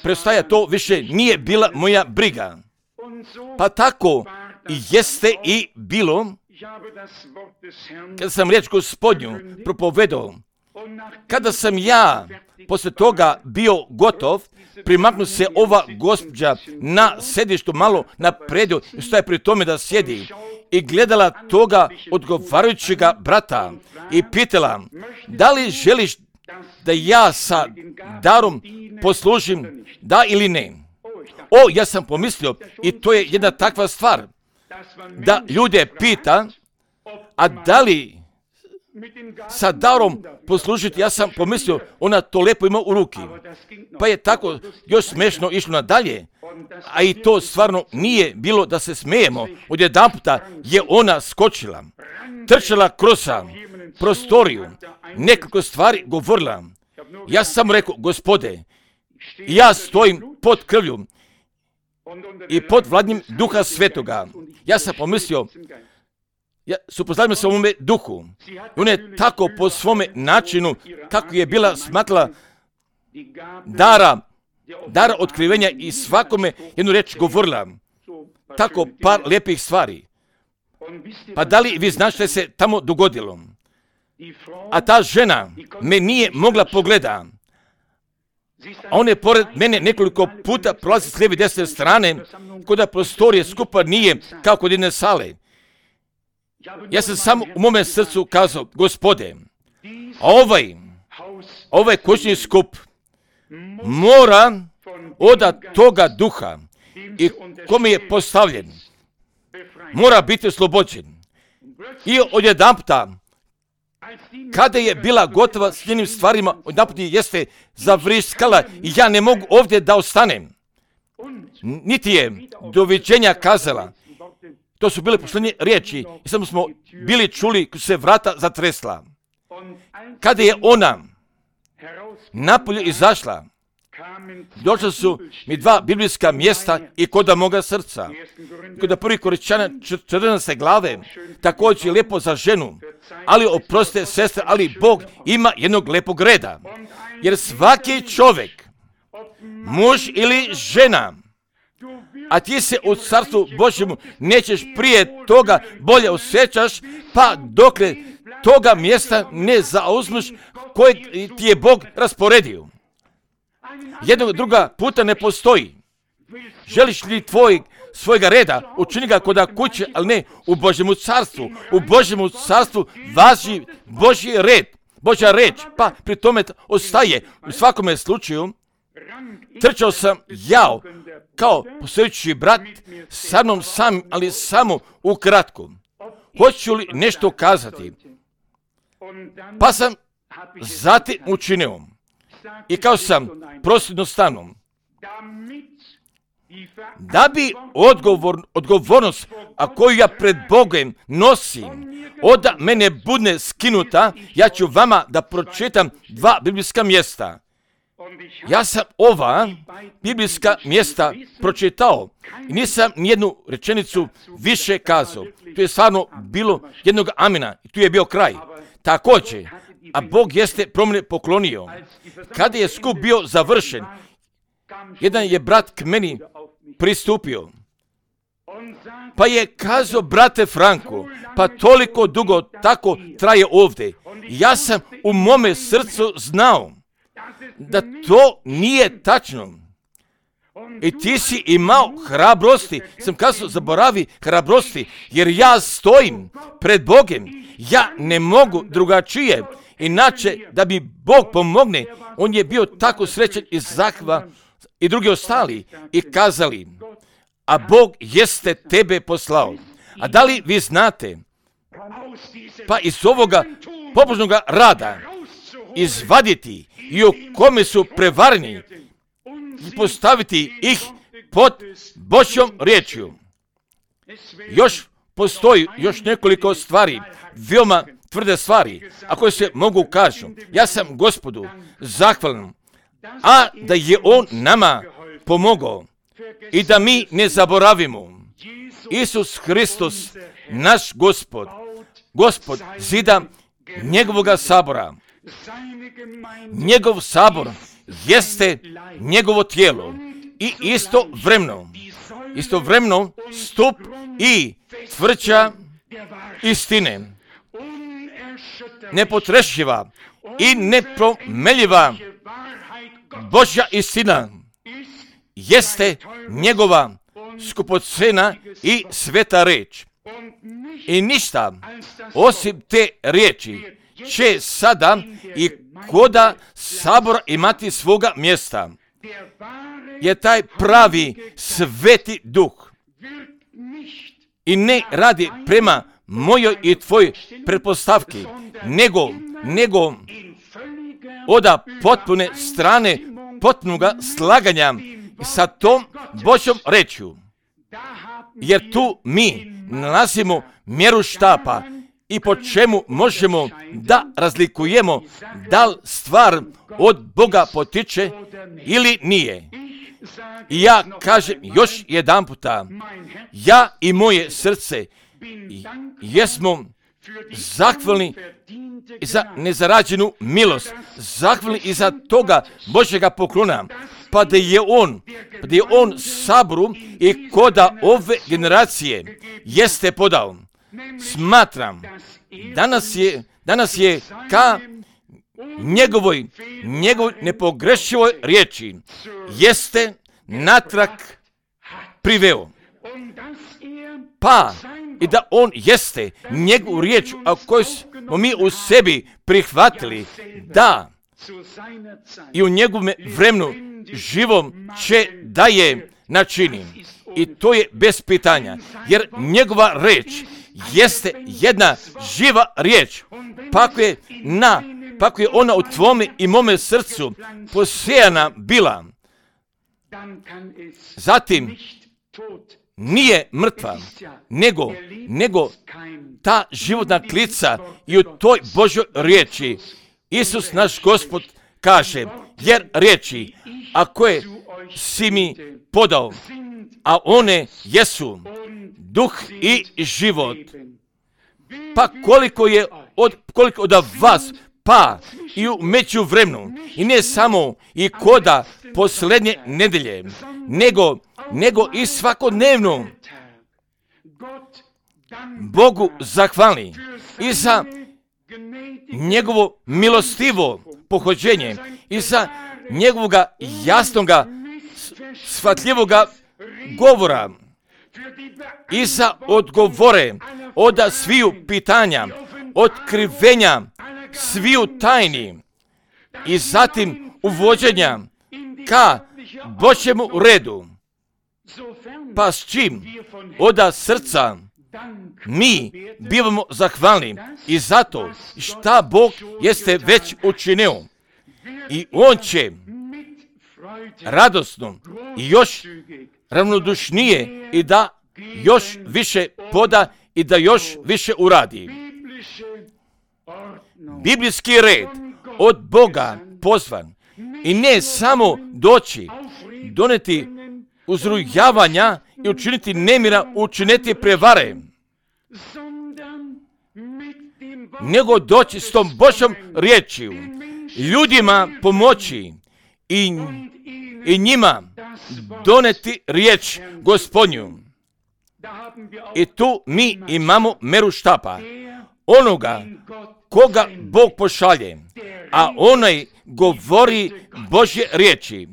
preostaje, to više nije bila moja briga. Pa tako i jeste i bilo, kada sam riječ Gospodnju propovedao, kada sam ja poslije toga bio gotov, primaknu se ova gospođa na sedištu malo napredio i stoje pri tome da sjedi i gledala toga odgovarajućega brata i pitala, da li želiš da ja sa darom poslužim, da ili ne? O, ja sam pomislio, i to je jedna takva stvar, da ljude pita, a da li sa darom poslužiti, ja sam pomislio, ona to lepo ima u ruki. Pa je tako još smešno išlo nadalje, a i to stvarno nije bilo da se smijemo. Odjedanputa je ona skočila, trčala kroz prostoriju, nekoliko stvari govorila. Ja sam rekao, Gospode, ja stojim pod krvlju i pod vladnjim Duha Svetoga. Ja sam pomislio, ja suprotstavljam se ovome duhu. I ona je tako po svome načinu, kako je bila smatrala dara, dara otkrivenja i svakome jednu reč govorila. Tako par lijepih stvari. Pa da li vi znate što se tamo dogodilo? A ta žena me nije mogla pogleda. A on je pored mene nekoliko puta prolazi s lijeve i desne strane, kod da prostorije skupa nije kao kod jedne sale. Ja sam samo u mome srcu kazao, Gospode, ovaj, ovaj kućni skup mora od toga duha i kome je postavljen, mora biti oslobođen. I odjedanputa, kada je bila gotova s njenim stvarima, odjedanput jeste zavriskala i ja ne mogu ovdje da ostanem. Niti je doviđenja kazala. To su bile posljednje riječi i samo smo bili čuli kako se vrata zatresla. Kada je ona napolje izašla, došla su mi dva biblijska mjesta i koda moga srca. Kod prvi Korinćana četrnaeste glave, također je lijepo za ženu, ali oprostite sestre, ali Bog ima jednog lepog reda. Jer svaki čovjek, muž ili žena, a ti se u carstvu Božjemu nećeš prije toga bolje osjećaš, pa dokle toga mjesta ne zauzmeš kojeg ti je Bog rasporedio. Jednog druga puta ne postoji. Želiš li tvoj, svojega reda, učini ga kod kuće, ali ne u Božjemu carstvu. U Božjemu carstvu važi Božji red, Božja reč, pa pri tome ostaje. U svakome slučaju, trčao sam jao, kao posjećući brat, sa mnom sam, ali samo ukratko. Hoću li nešto kazati? Pa sam zatim učinio. I kao sam prosjedno stanom. Da bi odgovor, odgovornost, a koju ja pred Bogom nosim, od mene bude skinuta, ja ću vama da pročitam dva biblijska mjesta. Ja sam ova biblijska mjesta pročitao i nisam nijednu rečenicu više kazao. Tu je stvarno bilo jednog amina i tu je bio kraj. Također, a Bog jeste promjene poklonio. Kada je skup bio završen, jedan je brat k meni pristupio. Pa je kazao, brate Franko, pa toliko dugo tako traje ovdje. Ja sam u mome srcu znao da to nije tačno. I ti si imao hrabrosti. Sam kazao, zaboravi hrabrosti, jer ja stojim pred Bogom. Ja ne mogu drugačije. Inače, da mi Bog pomogne, on je bio tako srećan i zahva i drugi ostali i kazali, a Bog jeste tebe poslao. A da li vi znate, pa iz ovoga pobožnoga rada izvaditi i u kome su prevareni i postaviti ih pod Božjom riječju. Još postoji još nekoliko stvari, veoma tvrde stvari, a koje se mogu kažu. Ja sam Gospodu zahvalan, a da je On nama pomogao i da mi ne zaboravimo. Isus Hristos, naš Gospod, Gospod zida njegovoga sabora. Njegov sabor jeste njegovo tijelo i istovremeno, istovremeno stup i tvrđa istine, nepotrešiva i nepromeljiva Božja istina jeste njegova skupocena i sveta reč. I ništa osim te riječi će sada i koda sabora imati svoga mjesta. Je taj pravi sveti duh i ne radi prema mojoj i tvojoj pretpostavki, nego, nego oda potpune strane potpunoga slaganja sa tom Božjom rečju. Jer tu mi nalazimo mjeru štapa i po čemu možemo da razlikujemo da li stvar od Boga potiče ili nije. I ja kažem još jedan puta, ja i moje srce jesmo zahvalni za nezarađenu milost, zahvalni i za toga Božjega poklona, pa da je on, pa da je on saboru i koda ove generacije jeste podao. Smatram, danas je, danas je ka njegovoj, njegovoj nepogrešivoj riječi jeste natrag priveo. Pa i da on jeste njegovu riječ, a koju smo mi u sebi prihvatili, da i u njegovom vremenu živom će da je načini. I to je bez pitanja, jer njegova riječ jeste jedna živa riječ. Pa ako je, na, pa ako je ona u tvome i mome srcu posijana bila, zatim nije mrtva, nego, nego ta životna klica i u toj Božoj riječi Isus naš Gospod kaže, jer riječi, a koje si mi podao, a one jesu duh i život. Pa koliko je od, koliko od vas, pa i u međuvremenu, i ne samo i koda posljednje nedelje, nego, nego i svakodnevno Bogu zahvalni i za njegovo milostivo pohođenje i za njegovoga jasnoga, shvatljivoga govora i za odgovore od sviju pitanja, otkrivenja sviju tajni i zatim uvođenja ka Božjemu redu. Pa s čim od srca mi bivamo zahvalni i zato šta Bog jeste već učinio. I on će radosno i još ravnodušnije i da još više poda i da još više uradi. Biblijski red od Boga pozvan i ne samo doći, doneti uzrujavanja i učiniti nemira, učiniti prevare, nego doći s tom Božjom riječju, ljudima pomoći i, i njima doneti riječ Gospodnju. I tu mi imamo meru štapa, onoga koga Bog pošalje, a onaj govori Božje riječi.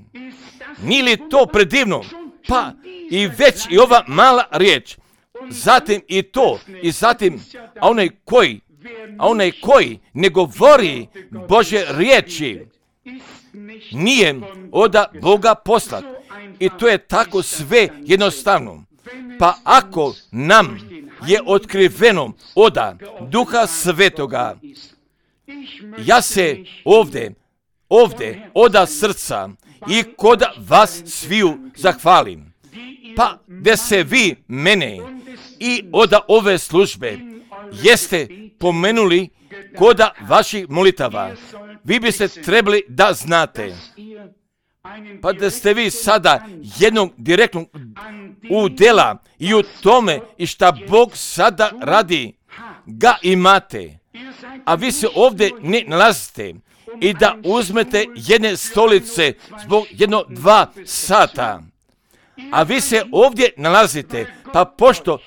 Nije li to predivno? Pa i već i ova mala riječ, zatim i to, i zatim, a onaj koji, a onaj koji ne govori Božje riječi, nije od Boga poslat. I to je tako sve jednostavno. Pa ako nam je otkriveno od Duha Svetoga, ja se ovdje, ovdje od srca i kod vas sviju zahvalim. Pa da se vi mene i od ove službe jeste pomenuli kod vaših molitava, vi biste trebali da znate. Pa da ste vi sada jednog direktnog udjela i u tome i šta Bog sada radi, ga imate. a vi se ovdje ne nalazite i da uzmete jedne stolice zbog jedno dva sata, a vi se ovdje nalazite, pa pošto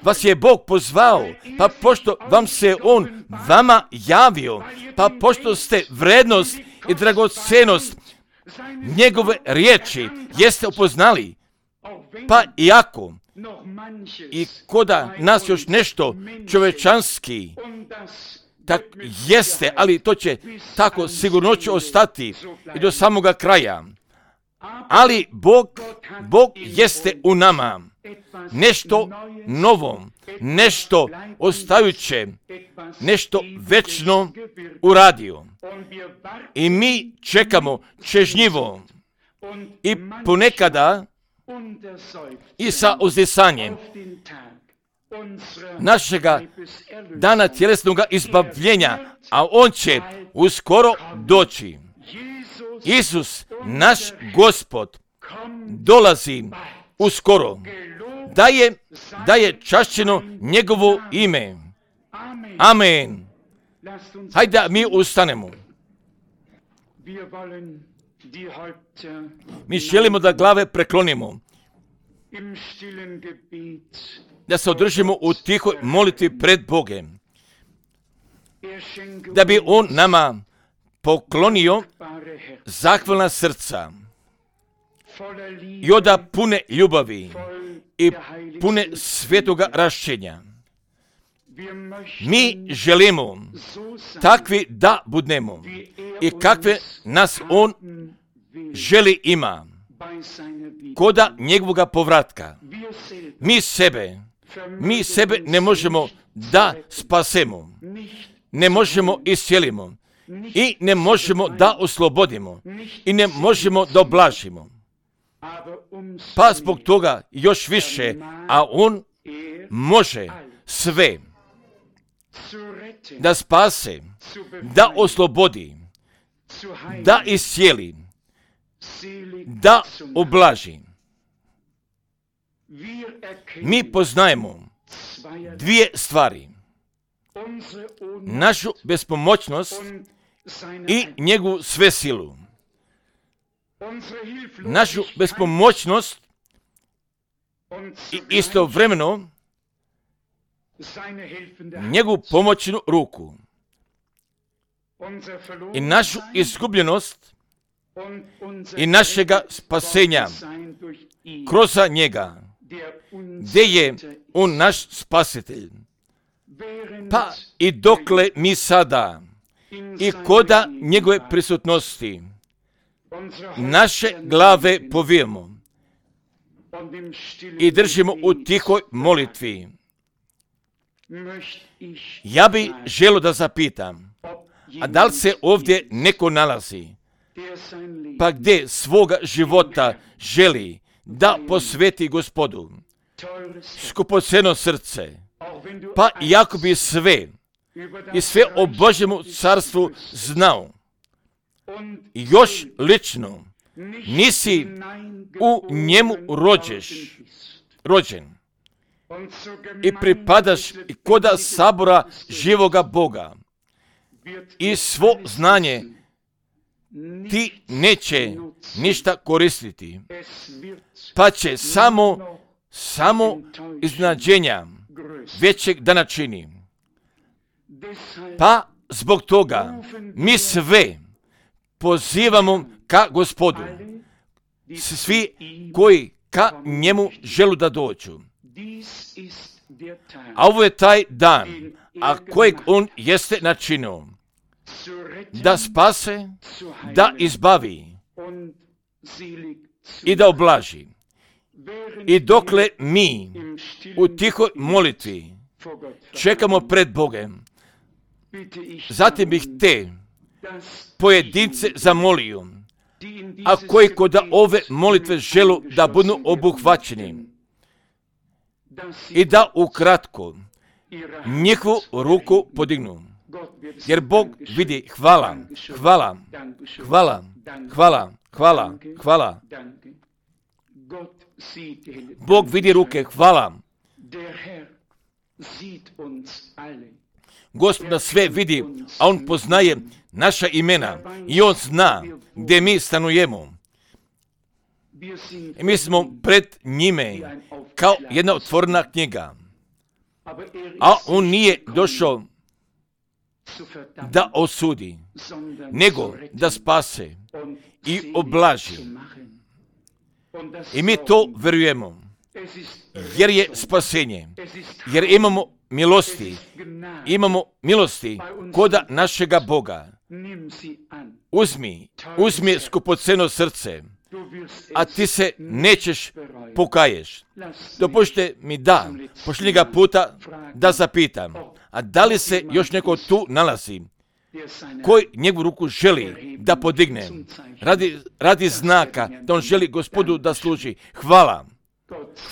vas je Bog pozvao, pa pošto vam se On vama javio, pa pošto ste vrednost i dragocenost njegove riječi jeste upoznali, pa iako i koda nas još nešto čovečanski tak jeste, ali to će tako sigurno će ostati i do samoga kraja. Ali Bog, Bog jeste u nama nešto novo, nešto ostajuće, nešto večno uradio. I mi čekamo čežnjivo i ponekada i sa uzdisanjem našega dana tjelesnog izbavljenja, a on će uskoro doći. Isus, naš Gospod, dolazi uskoro. Da je, da je čašćeno njegovo ime. Amen. Hajde da mi ustanemo. Mi želimo da glave preklonimo, da se održimo u tihoj molitvi pred Bogem, da bi On nama poklonio zahvalna srca i oda pune ljubavi i pune svetoga rašćenja. Mi želimo takvi da budemo i kakve nas On želi ima koda njegovoga povratka. Mi sebe, mi sebe ne možemo da spasemo, ne možemo iscijelimo i ne možemo da oslobodimo i ne možemo da oblažimo. Pa zbog toga još više, a On može sve da spase, da oslobodi, da iscijeli, da oblaži. Mi poznajemo dvije stvari. Našu bespomoćnost i njegovu svesilu. Našu bespomoćnost i istovremeno njegovu pomoćnu ruku. I našu izgubljenost i našega spasenja kroz njega, gdje je On naš spasitelj. Pa i dokle mi sada i koda njegove prisutnosti naše glave povijemo i držimo u tihoj molitvi, ja bi želio da zapitam, a da li se ovdje neko nalazi, pa gdje svoga života želi da posveti Gospodu, skupoceno srce, pa iako bi sve i sve o Božjemu carstvu znao, još lično nisi u njemu rođeš, rođen i pripadaš i koda sabora živoga Boga i svo znanje ti neće ništa koristiti, pa će samo, samo iznenađenja većeg dana čini. Pa zbog toga mi sve pozivamo ka Gospodu, svi koji ka njemu želu da dođu. A ovo je taj dan, a kojeg on jeste načinio, da spase, da izbavi i da oblaži. I dokle mi u tihoj molitvi čekamo pred Bogem, zatim bih te pojedince zamolio, a koji kod ove molitve želu da budu obuhvaćeni i da ukratko njihovu ruku podignu. Jer Bog vidi, hvala, hvala, hvala, hvala, hvala, hvala. Bog vidi ruke, hvala. Gospod nas sve vidi, a On poznaje naša imena i On zna gdje mi stanujemo. I mi smo pred njime kao jedna otvorena knjiga, a On nije došao da osudi, nego da spase i oblaži. I mi to vjerujemo, jer je spasenje, jer imamo milosti, imamo milosti koda našega Boga. Uzmi, uzmi skupoceno srce, a ti se nećeš pokaješ. Dopušte mi da, posljednjega puta da zapitam, a da li se još neko tu nalazi, koji njegovu ruku želi da podigne, radi, radi znaka da on želi Gospodu da služi. Hvala,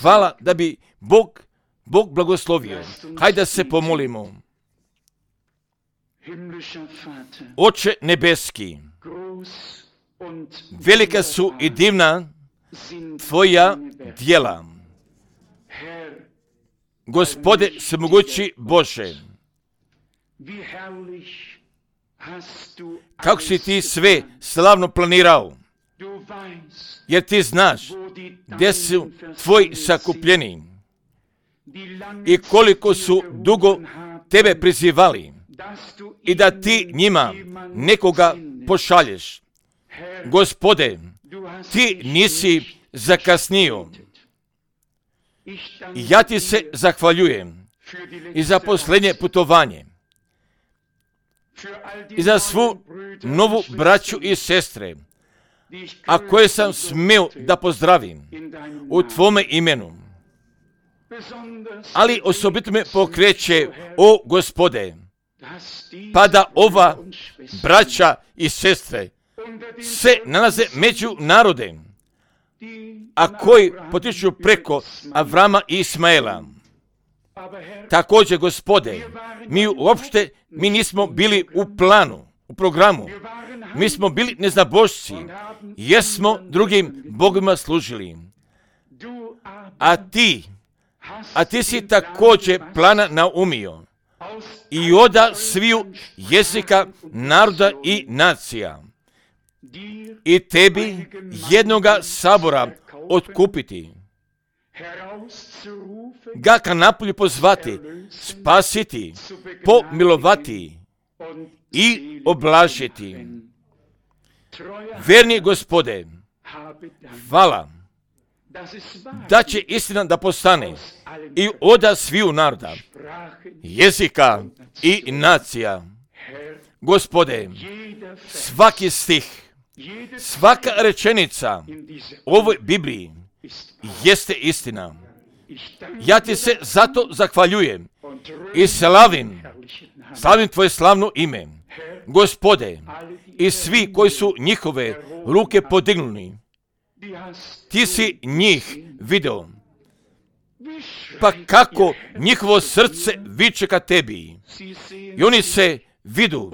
hvala da bi Bog, Bog blagoslovio. Hajde da se pomolimo. Oče nebeski, velika su i divna tvoja djela. Gospode svemogući Bože, kako si ti sve slavno planirao, jer ti znaš gdje su tvoji sakupljeni i koliko su dugo tebe prizivali i da ti njima nekoga pošalješ. Gospode, ti nisi zakasnio. I ja ti se zahvaljujem i za posljednje putovanje, i za svu novu braću i sestre, a koje sam smio da pozdravim u tvome imenu. Ali osobito me pokreće, o Gospode, pa da ova braća i sestre se nalaze među narodem, a koji potiču preko Avrama i Ismaela. Također, Gospode, mi uopšte mi nismo bili u planu, u programu. Mi smo bili neznabošci, jer smo drugim bogovima služili. A ti, a ti si također plana naumio i oda sviju jezika, naroda i nacija. I tebi jednoga sabora otkupiti, ga ka napolju pozvati, spasiti, pomilovati i oblažiti. Verni Gospode, hvala da će istina da postane i oda sviju naroda, jezika i nacija. Gospode, svaki stih, svaka rečenica u ovoj Bibliji jeste istina. Ja ti se zato zahvaljujem i slavim, slavim tvoje slavno ime. Gospode, i svi koji su njihove ruke podignuli, ti si njih video. Pa kako njihovo srce viče ka tebi. I oni se vidu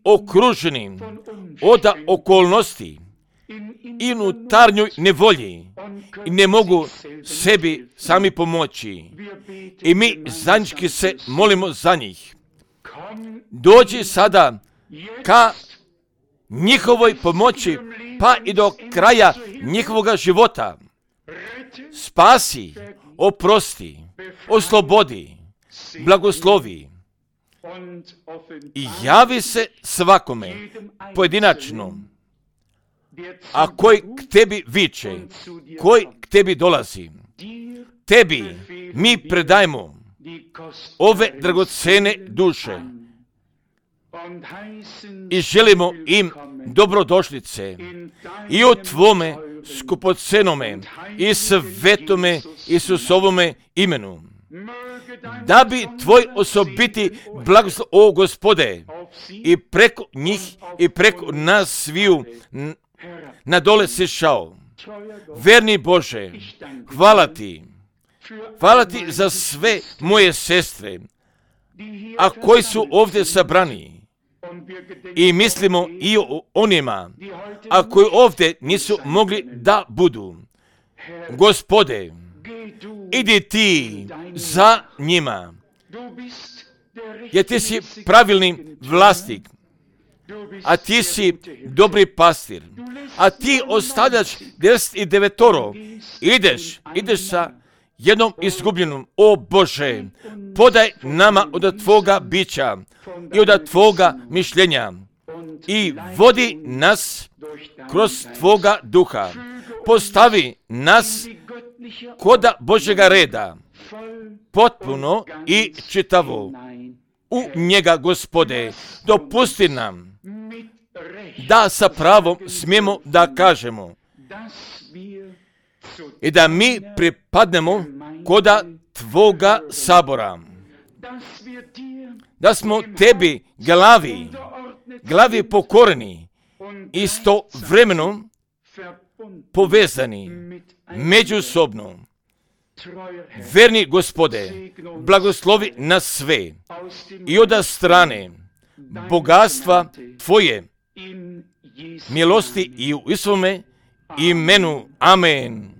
okruženi od okolnosti i unutarnjoj nevolji i ne mogu sebi sami pomoći. I mi zajednički se molimo za njih. Dođi sada ka njihovoj pomoći pa i do kraja njihovoga života. Spasi, oprosti, oslobodi, blagoslovi i javi se svakome pojedinačno, a koji k tebi viče, koji k tebi dolazi. Tebi mi predajemo ove dragocene duše i želimo im dobrodošlice i o tvome skupocenome i svetome Isusovome imenu. Da bi tvoj osobiti blagoslov, o Gospode, i preko njih i preko nas sviju na dole sišao. Verni Bože, hvala ti. Hvala ti za sve moje sestre, a koji su ovdje sabrani. I mislimo i o onima, a koji ovdje nisu mogli da budu. Gospode, idi ti za njima. jer ti si pravilni vlasnik, a ti si dobri pastir, a ti ostavljaš deset i devetoro, ideš, ideš sa jednom izgubljenom. O Bože, podaj nama od Tvoga bića i od Tvoga mišljenja i vodi nas kroz Tvoga duha. Postavi nas koda Božjega reda, potpuno i čitavo u njega, Gospode. Dopusti nam da sa pravom smijemo da kažemo i da mi pripadnemo koda Tvoga sabora, da smo Tebi glavi, glavi pokorni, istovremeno povezani međusobno. Verni Gospode, blagoslovi nas sve i od strane bogatstva Tvoje milosti i u Isuvome imenu. Amen.